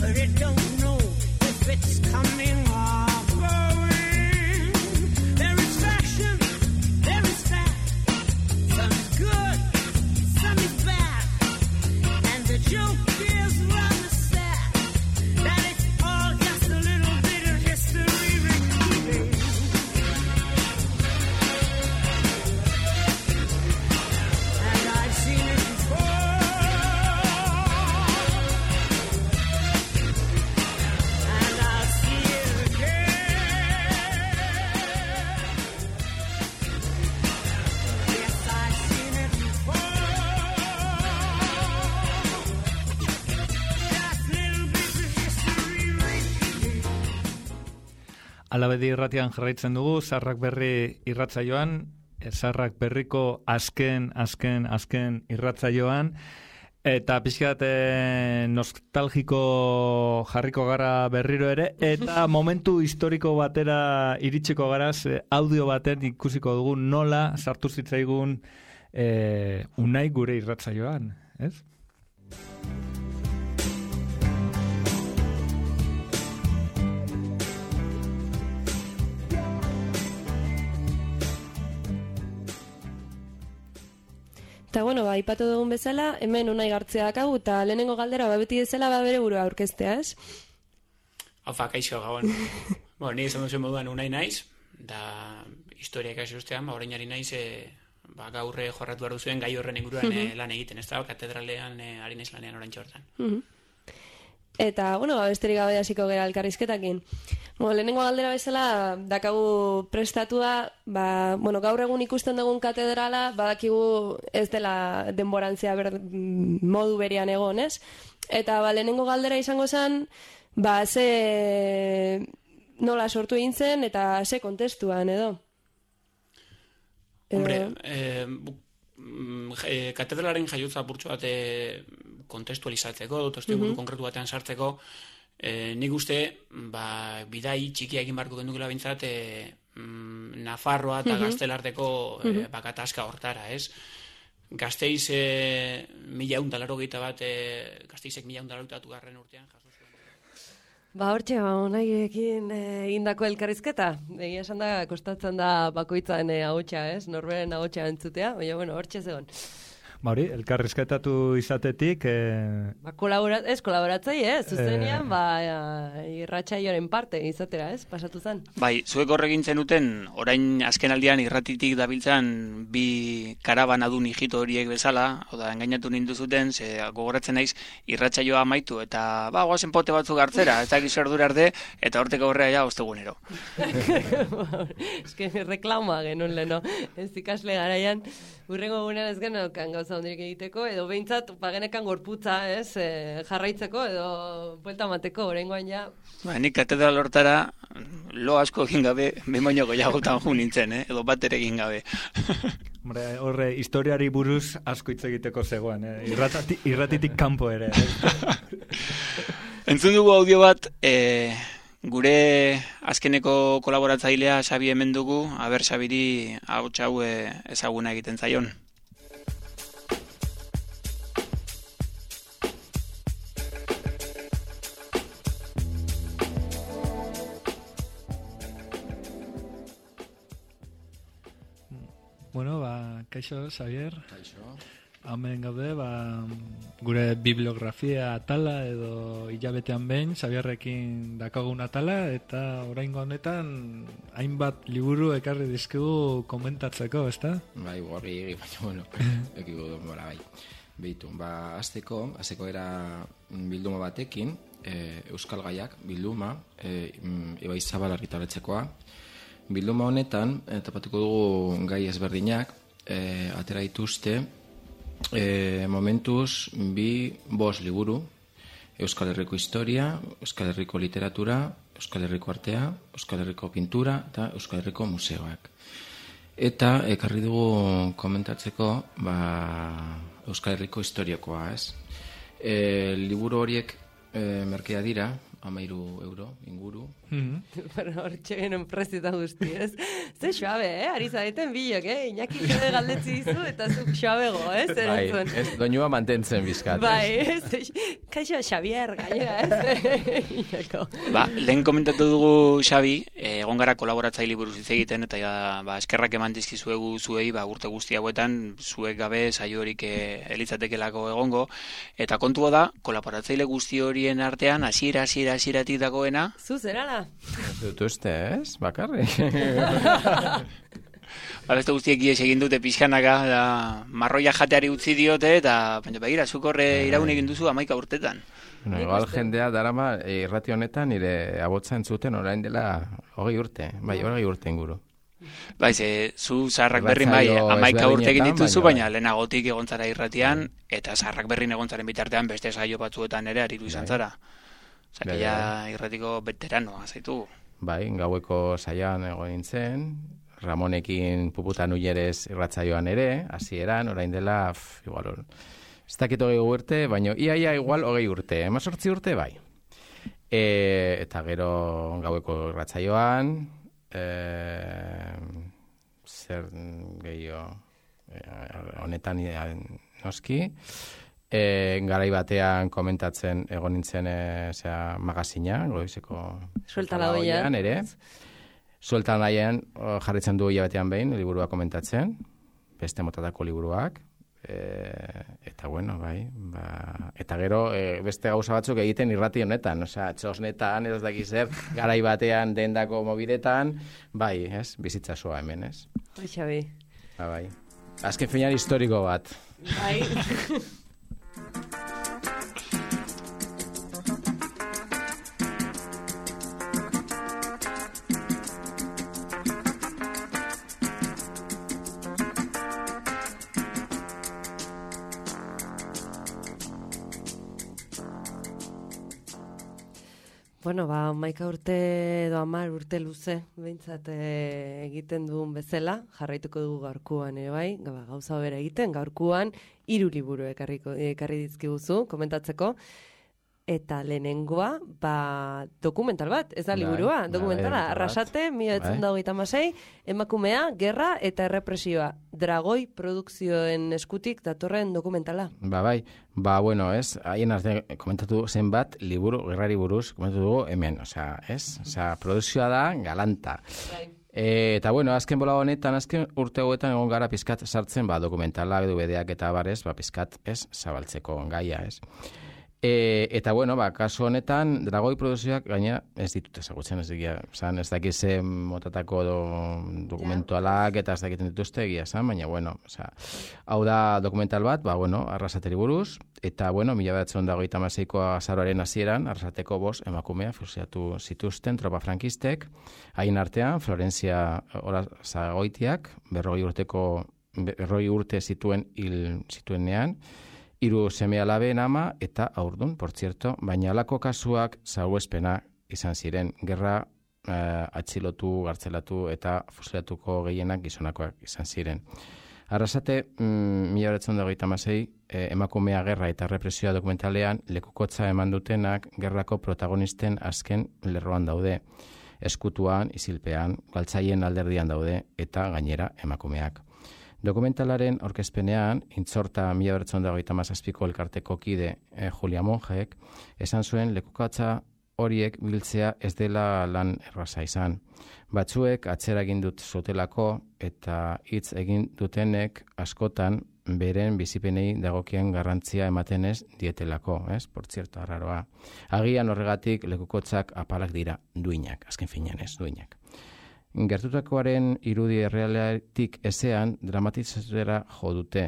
but it don't know if it's coming or going. There is fashion, there is fat, some is good, some is bad, and the joke is rather sad, that it's all just a little bit of history repeating. Alabedi irratian jarraitzen dugu, Zaharrak Berri irratsaioan, Zaharrak Berriko azken, azken, azken irratsaioan, eta pixkat nostalgiko jarriko gara berriro ere, eta momentu historiko batera iritsiko garaz, audio baten ikusiko dugu nola sartu zitzaigun e, Unai gure irratsaioan, ez? Eta, bueno, ba, ipatu dugun bezala, hemen unai gartzea dakagu, eta lehenengo galdera, ba, beti bezala, ba, bere burua aurkeztea, ez? Haufa, kaixo, gabon. Bueno, ni izan duzuen moduan unai naiz, da historia ikasi ustean, ba, orainari naiz, e, ba, gaurre jorratu behar duzuen gai horren inguruan e, lan egiten, ez da, katedralean e, ari naiz lanean orain txortan. Uh-huh. Eta, bueno, ba, besterik gabe hasiko gera elkarrizketakin. Bueno, lehenengo galdera bezala, dakagu prestatua, ba, bueno, gaur egun ikusten dugun katedrala, badakigu ez dela denborantzia ber, modu berian egon, ez? Eta, ba, lehenengo galdera izango zen, ba, ze nola sortu egin zen, eta ze kontestuan, edo? Hombre, eh, eh, katedralaren jaiotza purtsu bat eh, kontestualizatzeko, dut uh-huh. konkretu batean sartzeko, eh, nik uste, ba, bidai txikia egin barko gendukela bintzat, eh, mm, Nafarroa eta uh-huh. Gaztelarteko eh, uh-huh. bakatazka hortara, ez? Gazteiz eh, mila eundalaro gehieta bat, eh, Gazteizek mila eundalaro gehieta garren urtean, jaso zuen. Ba, hortxe, ba, onaiekin egindako eh, elkarrizketa. Egia esan da, kostatzen da bakoitzan eh, ahotsa, ez? Norberen ahotsa entzutea, baina, bueno, hortxe zegoen. Ba hori, elkarrizketatu izatetik... Eh... Ba, kolaborat, ez, kolaboratzei, ez? Zuzenian, eh... ba, irratsaioaren parte izatera, ez? Pasatu zen. Bai, zuek horregin zenuten, orain azken aldian irratitik dabiltzan bi karabanadun hijito horiek bezala, oda, engainatu nindu zuten, ze gogoratzen naiz irratsaioa amaitu, eta, ba, guazen pote batzuk hartzera, ez dakiz erdura arte, eta horteko horrea ja, ostegunero. Ez que reklama genuen leno, ez ikasle garaian, urrengo gunean ez genokan gauza hondirik egiteko, edo behintzat pagenekan gorputza, ez, e, jarraitzeko, edo buelta mateko, oraingoan ja. Ba, nik katedral hortara lo asko egin gabe, behin goiagotan ju nintzen, eh? Edo bat ere egin gabe. Hombre, horre, historiari buruz asko hitz egiteko zegoen, eh? Irratati, irratitik kanpo ere. Eh? Entzun dugu audio bat, eh, gure azkeneko kolaboratzailea Xabi hemen dugu, aber Xabiri hau txau ezaguna egiten zaion. Bueno, ba, kaixo, Xavier. Kaixo. Hemen gaude, ba, gure bibliografia atala edo hilabetean behin, Xavierrekin dakagun atala, eta oraingo honetan hainbat liburu ekarri dizkigu komentatzeko, ezta? Bai, gorri, baina, bueno, ekigu denbora, bai. Beitu, ba, azteko, azteko era bilduma batekin, e, Euskal Gaiak bilduma, e, Ibai Zabal argitaletxekoa. Bilduma honetan, tapatuko dugu gai ezberdinak, e, atera dituzte, E, momentuz bi bost liburu, Euskal Herriko historia, Euskal Herriko literatura, Euskal Herriko artea, Euskal Herriko pintura eta Euskal Herriko museoak. Eta ekarri dugu komentatzeko ba, Euskal Herriko historiakoa, ez? E, liburu horiek e, merkea dira, amairu euro inguru. Bueno, hor txegenen prezita guzti, ez? Ze suabe, eh? Ari zareten bilok, eh? Iñaki jode galdetzi dizu eta zuk suabego, eh? Bai, ez doinua mantentzen bizkat. Bai, ez? Kaixo, Xavier, gainera, ez? Ba, lehen komentatu dugu Xabi, egon gara kolaboratzaile buruz hitz egiten, eta ja, ba, eskerrak eman dizkizuegu zuei, ba, urte guzti hauetan, zuek gabe saio horik elitzatekelako egongo, eta kontua da, kolaboratzaile guzti horien artean, hasiera hasiera hasieratik dagoena. Zu zerala? Dut uste, ez? Bakarri. Ba, beste guztiek ies egin dute pixkanaka, da, marroia jateari utzi diote, eta baina begira, zuk horre iraun egin duzu amaika urtetan. Bueno, igual jendea darama irrati honetan nire abotza entzuten orain dela hogei urte, bai, hogei urte inguru. Bai, ze, zu zaharrak berrin bai, amaika urte egin dituzu, baina lehenagotik egontzara irratian, eta zaharrak berrin egontzaren bitartean beste saio batzuetan ere aritu izan zara. Zaki ja irratiko veteranoa zaitu. Bai, gaueko saioan egon nintzen, Ramonekin puputan uierez irratzaioan ere, hasieran orain dela, f, igual, ez dakit hogei urte, baina iaia igual hogei urte, emazortzi urte bai. E, eta gero gaueko irratzaioan, e, zer gehiago, e, honetan noski, E, garai batean komentatzen egon nintzen e, zera, magazina, goizeko Suelta la oian ere. Suelta la oian jarritzen du hilabetean behin, liburua komentatzen, beste motatako liburuak, E, eta bueno, bai, ba, eta gero e, beste gauza batzuk egiten irrati honetan, osea, txosnetan, ez dakiz zer, garai batean dendako mobiletan, bai, ez, bizitzasoa hemen, ez? Bai, Xabi. Ba, bai. Azken finean historiko bat. Bai. Bueno, ba, maika urte edo amar urte luze, behintzat e, egiten duen bezala, jarraituko dugu gaurkuan ere bai, ba, gauza bera egiten, gaurkuan hiru liburu ekarriko, ekarri dizkiguzu, komentatzeko, eta lehenengoa, ba, dokumental bat, ez da liburua, bai, dokumentala, bai, Arrasate, mila bederatziehun eta hogeita hamasei, emakumea, gerra eta errepresioa, Dragoi produkzioen eskutik datorren dokumentala. Ba, bai, ba, bueno, ez, haien arte komentatu zenbat, liburu, gerrari buruz, komentatu dugu hemen, osea, ez, osea, produkzioa da, galanta. Bai. E, eta bueno, azken bola honetan, azken urte hauetan egon gara pizkat sartzen, ba, dokumentala, D V D-ak eta barez, ba, pizkat, ez, zabaltzeko gaia, ez. E, eta bueno, ba, kasu honetan, Dragoi produzioak gaina ez ditut ezagutzen, ez digia, zan, ez dakiz motatako do, dokumentualak eta ez dakiten dituzte egia, zan, baina bueno, oza, hau da dokumental bat, ba, bueno, Arrasateri buruz, eta bueno, mila bederatziehun eta hogeita hamaseiko azaroaren hasieran, Arrasateko bost emakumea fusilatu zituzten tropa frankistek, haien artean, Florentzia Olazagoitiak, berrogei urteko, berrogei urte zituen hil zituenean, hiru seme alabeen ama eta haurdun, por cierto, baina halako kasuak salbuespena izan ziren, gerra eh, atxilotu, gartzelatu eta fusilatuko gehienak gizonakoak izan ziren. Arrasate, mm, mila bederatziehun eta hogeita hamasei, eh, emakumea gerra eta represioa dokumentalean lekukotza eman dutenak gerrako protagonisten azken lerroan daude. Eskutuan, isilpean, galtzaien alderdian daude eta gainera emakumeak. Dokumentalaren aurkezpenean, intzorta mila bederatziehun eta hogeita hamazazpiko elkarteko kide eh, Julia Monjek, esan zuen lekukatza horiek biltzea ez dela lan erraza izan. Batzuek atzera egin dut zutelako eta hitz egin dutenek askotan beren bizipenei dagokien garrantzia ematen ez dietelako, ez? Por cierto, arraroa. Agian horregatik lekukotzak apalak dira duinak, azken finean ez, duinak. Gertutakoaren irudi errealetik ezean dramatizazera jo dute.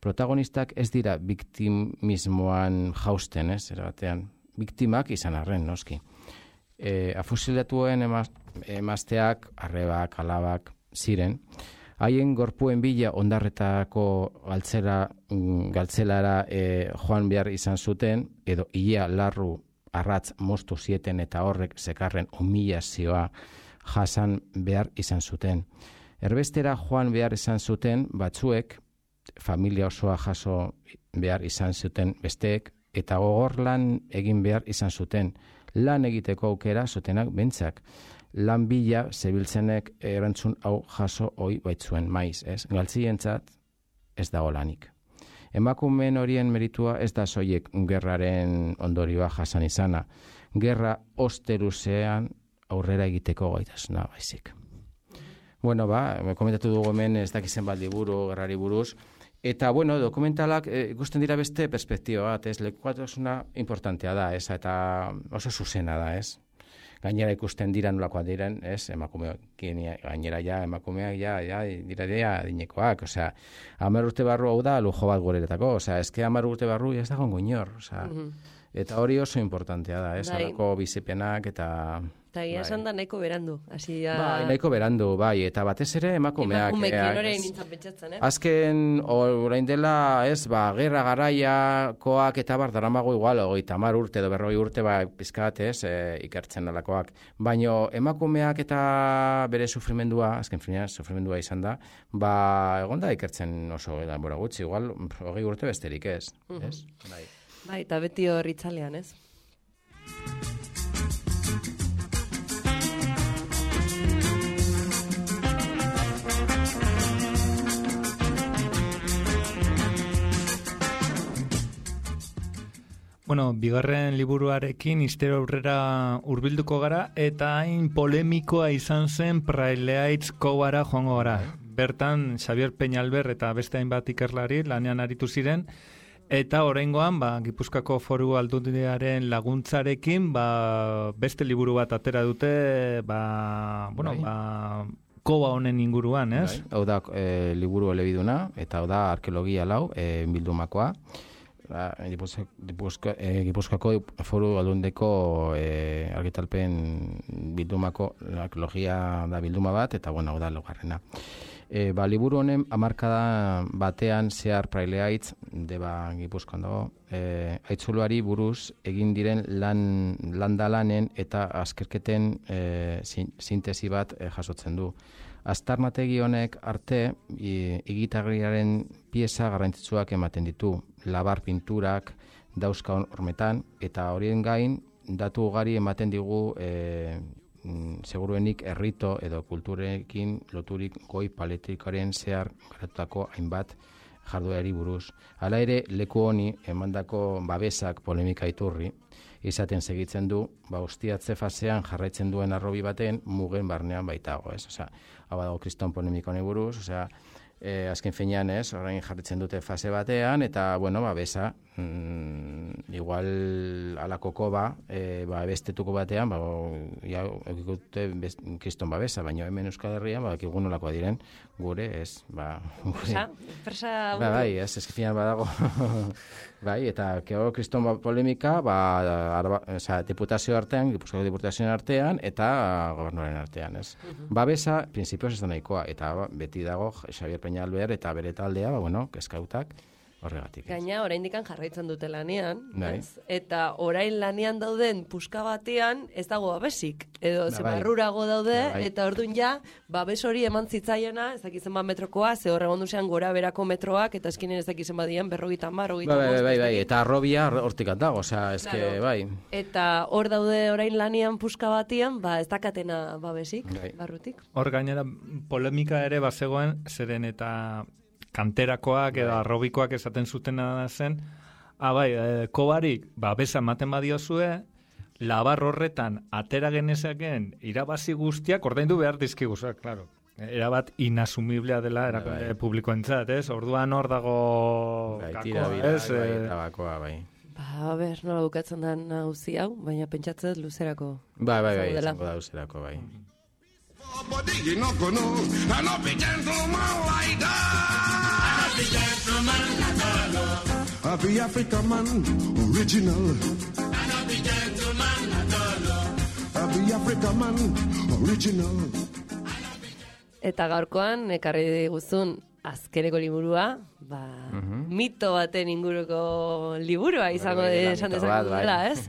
Protagonistak ez dira biktimismoan jausten, ez, erabatean. Biktimak izan arren, noski. E, afusilatuen emaz, emazteak, arrebak, alabak, ziren. Haien gorpuen bila ondarretako galtzera, galtzelara e, joan behar izan zuten, edo ia larru arratz moztu zieten eta horrek zekarren humilazioa jasan behar izan zuten. Erbestera joan behar izan zuten batzuek, familia osoa jaso behar izan zuten besteek, eta gogor lan egin behar izan zuten. Lan egiteko aukera zutenak bentzak. Lan bila zebiltzenek erantzun hau jaso hoi baitzuen maiz, ez? Galtzientzat ez dago lanik. Emakumeen horien meritua ez da soiek gerraren ondorioa jasan izana. Gerra osteruzean aurrera egiteko gaitasuna baizik. Bueno, ba, komentatu dugu hemen ez dakizen bat liburu, gerrari buruz, eta, bueno, dokumentalak e, ikusten dira beste perspektiba bat, ez, lekuatasuna importantea da, ez, eta oso zuzena da, ez. Gainera ikusten dira nolakoa diren, ez, emakumeak, gainera ja, emakumeak ja, ja, dira dira dinekoak, osea, hamar urte barru hau da lujo bat gureretako, osea, eske hamar urte barru ez dago inor, osea, mm-hmm. Eta hori oso importantea da, ez, horako bizipenak eta... Eta ia esan da nahiko berandu. Asi ya... Bai, nahiko berandu, bai, eta batez ere emakumeak. Emakumeak hori nintzen pentsatzen, eh? Azken, orain dela, ez, ba, gerra garaiakoak eta bar, daramago igual, hogeita hamar urte edo berroi urte, ba, pizkat, ez, e, ikertzen nolakoak. Baina emakumeak eta bere sufrimendua, azken finean, sufrimendua izan da, ba, egon da ikertzen oso, da, bora gutxi, igual, hogei urte besterik ez, uh-huh. Ez? Bai. Bai, eta beti hor itzalean, ez? Bueno, bigarren liburuarekin istero aurrera hurbilduko gara eta hain polemikoa izan zen Praileaitz kobara joango gara. bertan Xavier Peñalber eta beste hainbat ikerlari lanean aritu ziren, eta oraingoan ba, Gipuzkoako Foru Aldundiaren laguntzarekin ba, beste liburu bat atera dute ba, bueno, bai. ba, koba honen inguruan, ez? Bai. Hau da e, liburu elebiduna, eta hau da arkeologia lau, e, bildumakoa. Gipuzkoako Foru Aldundeko e, argitalpen bildumako arkeologia da bilduma bat, eta bueno, hau da laugarrena. E, ba, liburu honen hamarkada batean zehar prailea hitz, deba Gipuzkoan dago, e, aitzuluari buruz egin diren lan, landalanen eta azkerketen e, sintesi bat e, jasotzen du. Aztarnategi honek arte igitagriaren pieza garrantzitsuak ematen ditu, labar pinturak dauzka hormetan, eta horien gain datu ugari ematen digu e, seguruenik errito edo kulturekin loturik goi paletrikoaren zehar garatutako hainbat jarduerari buruz. Hala ere, leku honi emandako babesak polemika iturri, izaten segitzen du, ba, ustiatze fasean jarraitzen duen arrobi baten mugen barnean baitago, ez? Osea, hau dago kriston polemiko honi buruz, osea, e, azken finean, ez, orain jarritzen dute fase batean, eta, bueno, babesa, mm, igual alako koba, e, ba, bestetuko batean, ba, ja, eukikute kriston babesa, baina hemen Euskal Herrian, ba, ekigun nolakoa diren, gure, ez, ba, gure. Presa, presa... Ba, bai, ez, ez finean badago, bai, eta kego kriston ba, polemika, ba, arba, oza, diputazio artean, Gipuzkoako diputazioen artean, eta gobernuaren artean, ez. Uh-huh. Babesa, prinsipioz ez da nahikoa, eta ba, beti dago Xavier Peñalber eta bere taldea, ba, bueno, kezkautak, horregatik. Gaina, oraindikan jarraitzen dute lanean, bai. ez? Eta orain lanean dauden puska batean ez dago babesik, edo ba, ze bai. barrurago daude, bai. eta orduan ja, babes hori eman zitzaiena, ez dakizen bat metrokoa, ze horregon duzean gora berako metroak, eta eskinen ez dakizen badien, berrogeita mar, berrogeita bai, bai, bai, bai, bai, eta arrobia hortik dago, osea, eske, Claro. bai. Eta hor daude orain lanean puska batean, ba ez dakatena babesik, Bai. barrutik. Hor gainera polemika ere bazegoen, zeren eta kanterakoak edo arrobikoak esaten zutena zen, ah, bai, e, kobarik, ba, besa ematen badiozue, labar horretan atera genezaken irabazi guztiak ordaindu behar dizkigu, claro. Erabat inasumiblea dela erakunde bai. publikoentzat, ez? Orduan hor dago Bai, gakoa, tira bira, ez? bai, Eh, tabakoa, bai. Ba, a ber, nola bukatzen da nauzi hau, baina pentsatzen luzerako. Bai, bai, bai, zaudela. izango da uzerako, bai. You know, go no, I know be gentleman like that. I know be gentleman like that. I be African man, original. I know be gentleman like that. I be African man, original. Eta gaurkoan, ekarri diguzun azkeneko liburua, ba, Mhm. mito baten inguruko liburua izango Bai, bai, de, da, esan mito dezakegu bat, bai. dela, ez?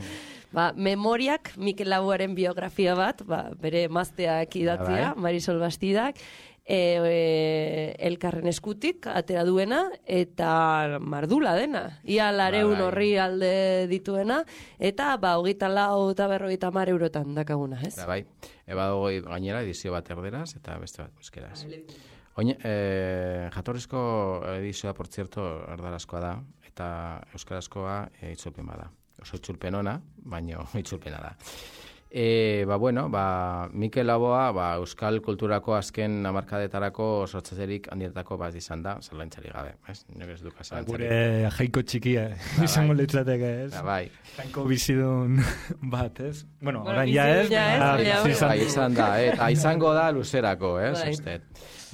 Ba, Memoriak, Mikel Laboaren biografia bat, ba, bere mazteak idatzia, Bai. Marisol Bastidak, e, e, elkarren eskutik, atera duena, eta mardula dena. Ia lareun Bai. horri alde dituena, eta ba, hogeita lau eta berrogeita mar eurotan dakaguna, ez? Da, bai, eba dago gainera edizio bat erderaz eta beste bat euskeraz. Oine, eh, jatorrizko edizioa, por cierto, erdarazkoa da, eta euskarazkoa e, itzulpen bada. Oso itzulpen ona, baina itzulpena da. E, ba, bueno, ba, Mikel Laboa, ba, euskal kulturako azken hamarkadetarako sortzaterik handietako bat izan da, zerlaintzari gabe, ez? Nik ez duka zerlaintzari. Gure jaiko txikia, Ba, izango bai. litzateke, ez? Ba, bai. Jainko bizidun bat, ez? Bueno, Bueno, orain ja ez, bizidun ja ez, baina baina, bizi izan Bai, izan da, eh? Eta izango da luzerako, ez? Bai. Uste.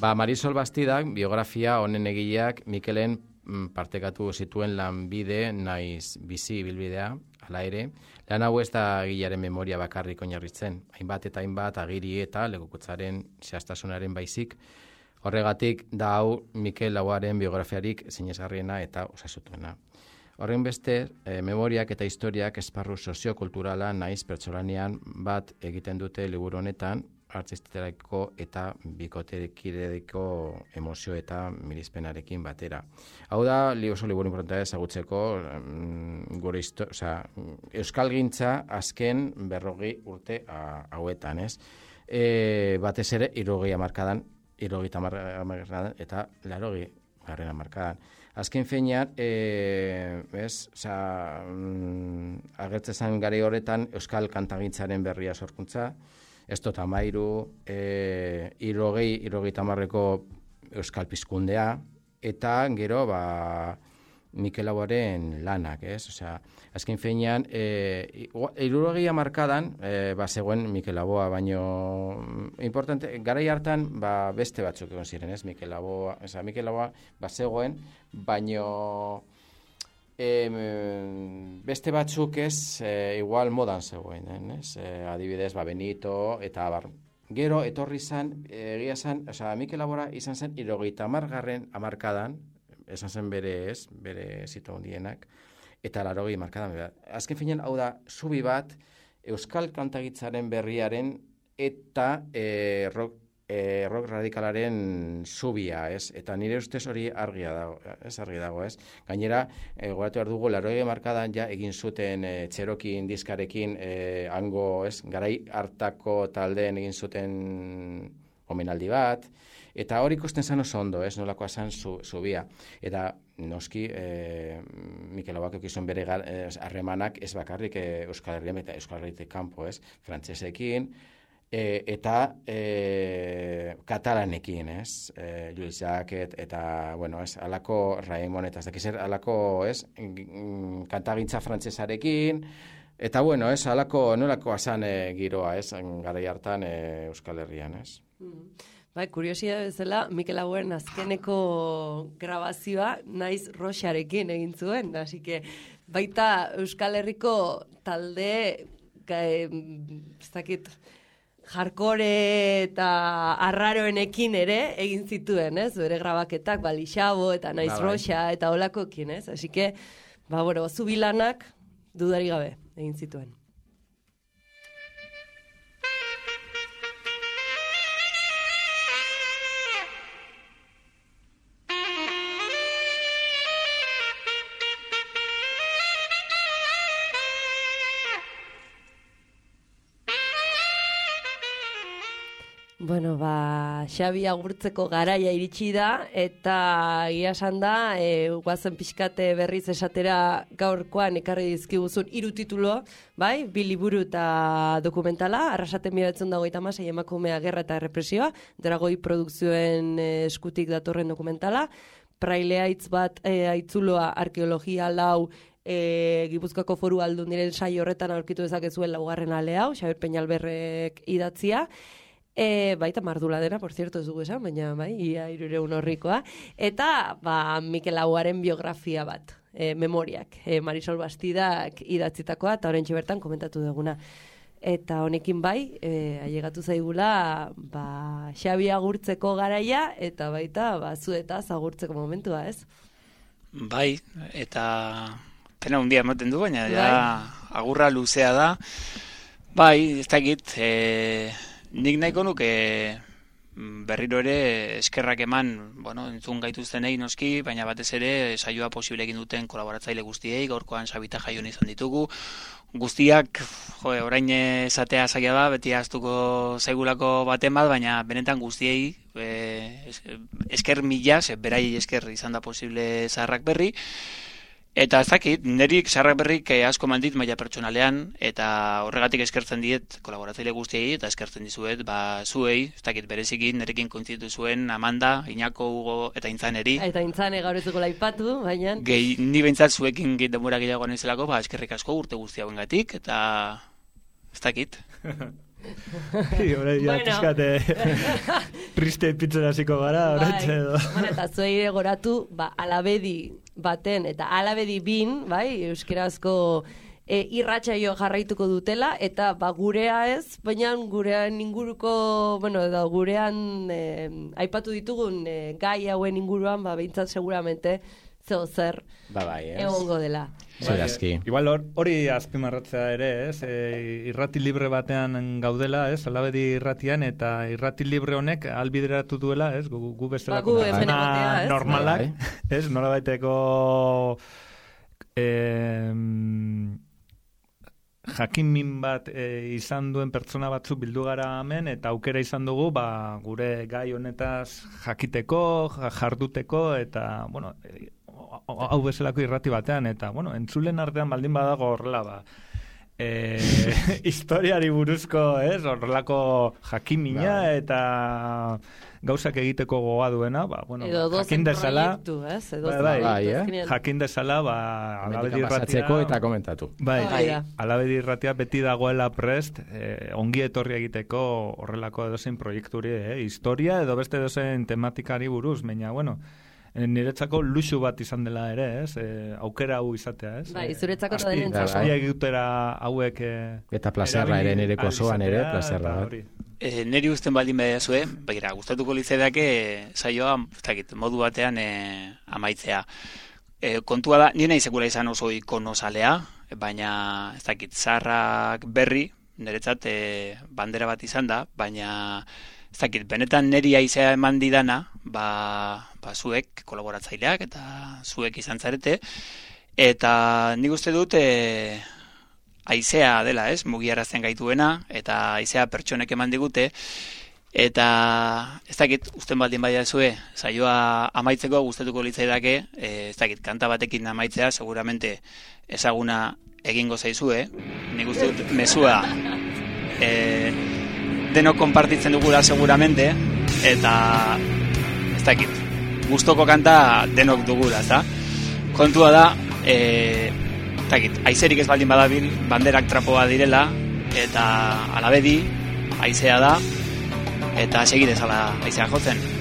Ba, Marisol Bastidak, biografia honen egileak Mikelen mm, partekatu zituen lanbide naiz bizi ibilbidea, hala ere, lan hau ez da egilearen memoria bakarrik oinarritzen, hainbat eta hainbat agiri eta lekukotzaren zehaztasunaren baizik, horregatik da hau Mikel Laboaren biografiarik sinesgarriena eta osasutuena. Horren beste, e, memoriak eta historiak esparru soziokulturala naiz pertsolanean bat egiten dute liburu honetan, artisterako eta bikoterekideko emozio eta mirizpenarekin batera. Hau da, li oso liburu importantea ezagutzeko, mm, gure histo- osea, euskalgintza azken berrogi urte a, hauetan, ez? E, batez ere, irrogei hamarkadan, irrogeita hamarkadan eta larogi garren hamarkadan. Azken finean, e, ez, osea, mm, agertzen zen gari horretan euskal kantagintzaren berria sorkuntza, ez dut amairu, e, irrogei, irrogeita hamarreko euskal pizkundea, eta gero, ba, Mikel Laboaren lanak, ez? Osea, azken feinean, e, hirurogeia markadan, e, ba, zegoen Mikel Laboa, baino, importante, garai hartan, ba, beste batzuk egon ziren, ez? Mikel Laboa, osea, Mikel Laboa, ba, zegoen, baino, e, beste batzuk ez, e, igual modan zegoen, ez? E, adibidez, ba, Benito, eta abar. Gero, etorri zan, egia zan, osea, Mikel Labora izan zen, hirurogeita hamargarren hamarkadan, esan zen bere ez, bere zito hundienak, eta larogei markadan. Azken finean, hau da, zubi bat, euskal kantagitzaren berriaren eta e, rock, e, rock radikalaren zubia, ez? Eta nire ustez hori argia dago, ez argi dago, ez? Gainera, e, goratu behar dugu, larogei markadan ja egin zuten e, txerokin diskarekin e, hango, ez? Garai hartako taldeen egin zuten omenaldi bat, eta hori ikusten zan oso ondo, ez, nolakoa zan zubia. Eta noski, e, Mikel Laboak eukizun bere harremanak ez bakarrik e, Euskal Herrian eta Euskal Herritik kanpo, ez, frantsesekin, e, eta e, katalanekin, ez, e, Lluís Jacquet, eta, bueno, ez, alako Raimon, eta ez dakizer, alako, ez, kantagintza frantsesarekin, eta, bueno, ez, alako, nolakoa zan e, giroa, ez, garai hartan e, Euskal Herrian, ez. Mm. Bai, kuriosia bezala, Mikel Laboen azkeneko grabazioa naiz Roxarekin egin zuen, hasi que baita Euskal Herriko talde, ez dakit, hardcore eta arraroenekin ere egin zituen, ez? Bere grabaketak, Balixabo eta naiz Roxa eta holakoekin, ez? Hasi que, ba, bueno, zubilanak dudari gabe egin zituen. Bueno, ba, Xabi agurtzeko garaia iritsi da, eta egia esan da, e, guazen pixkate berriz esatera gaurkoan ekarri dizkiguzun hiru titulo, bai, bi liburu eta dokumentala, Arrasaten mila bederatziehun eta hogeita hamasei emakumea gerra eta errepresioa, Dragoi produkzioen e, eskutik datorren dokumentala, Praile Aitz bat e, aitzuloa arkeologia lau, E, Gipuzkoako Foru Aldundiren saio horretan aurkitu dezakezuen laugarren ale hau, Xabier Peñalberrek idatzia, E, baita mardula dena, por cierto, ez dugu esan, baina bai, ia hirureun horrikoa. Eta, ba, Mikel Laboaren biografia bat, e, memoriak, e, Marisol Bastidak idatzitakoa, eta horrentxe bertan komentatu duguna. Eta honekin bai, e, ailegatu zaigula, ba, Xabi agurtzeko garaia, eta baita, ba, zuetaz agurtzeko momentua, ez? Bai, eta pena hundia ematen du, baina ja, agurra luzea da. Bai, ez dakit, e, nik nahiko nuke berriro ere eskerrak eman, bueno, entzun gaituztenei noski, baina batez ere saioa posible egin duten kolaboratzaile guztiei, gaurkoan Sabita Jaion izan ditugu. Guztiak, jo, orain esatea zaila da, beti ahaztuko zaigulako baten bat, baina benetan guztiei e, esker mila, ze berai esker izan da posible Zaharrak Berri. Eta ez dakit, nerik Zaharrak Berrik asko mandit maila pertsonalean, eta horregatik eskertzen diet kolaboratzaile guztiei, eta eskertzen dizuet, ba, zuei, ez dakit berezikin, nerekin kointzitu zuen Amanda, Iñako, Hugo, eta Intzaneri. Eta Intzane gaur ez dugu laipatu, baina... Gehi, ni behintzat zuekin denbora gehiago nahizelako, ba, eskerrik asko urte guzti hauengatik, eta ez dakit. Hora ja, pizkate triste pitzen hasiko gara, horretxe edo. Bueno, eta zuei goratu, ba, Alabedi baten, eta Alabedi bin, bai, euskerazko e, irratsaio jarraituko dutela, eta ba, gurea ez, baina gurean inguruko, bueno, edo gurean e, aipatu ditugun e, gai hauen inguruan, ba, behintzat seguramente, zeo zer ba, bai, egongo dela. Zerazki. Igual hori azpimarratzea ere, ez? E, irrati libre batean gaudela, ez? Alabedi irratian, eta irrati libre honek albideratu duela, ez? Gu, gu bestelako ba, gu normalak, ez? Nola baiteko eh, jakin min bat e, izan duen pertsona batzuk bildu gara hemen, eta aukera izan dugu, ba, gure gai honetaz jakiteko, jarduteko, eta, bueno, hau bezalako irrati batean, eta, bueno, entzulen artean baldin badago horrela, ba, e, historiari buruzko, ez, horrelako jakimina eta gauzak egiteko gogoa duena, ba, bueno, jakin dezala, ez? Edo bai, bai, bai, eh? jakin dezala, ba, alabedi irratia, eta komentatu. Bai, bai, alabedi irratia beti dagoela prest, eh, ongi etorri egiteko horrelako edozein proiekturi, eh, historia edo beste edozein tematikari buruz, baina, bueno, niretzako luxu bat izan dela ere, ez? E, aukera hau izatea, ez? Bai, zuretzako da denentzako. Azpia egitera hauek... E, eta plazerra ere, nireko osoan ere, plazerra. E, neri usten baldin badazue, begira, gustatuko litzedake saioa, ez dakit, modu batean e, amaitzea. E, kontua da, nire nahi izan oso ikonozalea, baina, ez dakit, zaharrak berri, niretzat e, bandera bat izan da, baina... Ez dakit, benetan neri aizea eman didana, ba, ba zuek, kolaboratzaileak, eta zuek izan zarete, eta nik uste dut e, aizea dela, ez, mugiarazten gaituena, eta aizea pertsonek eman digute, eta ez dakit, usten baldin badia zue, saioa amaitzeko gustatuko litzaidake, e, ez dakit, kanta batekin amaitzea, seguramente ezaguna egingo zaizue, nik uste dut mezua, e, denok konpartitzen dugula seguramente, eta ez dakit, gustoko kanta denok dugula, ezta? Kontua da, e, ez dakit, aizerik ez baldin badabil, banderak trapoa direla, eta alabedi, aizea da, eta segidez ala aizea jotzen.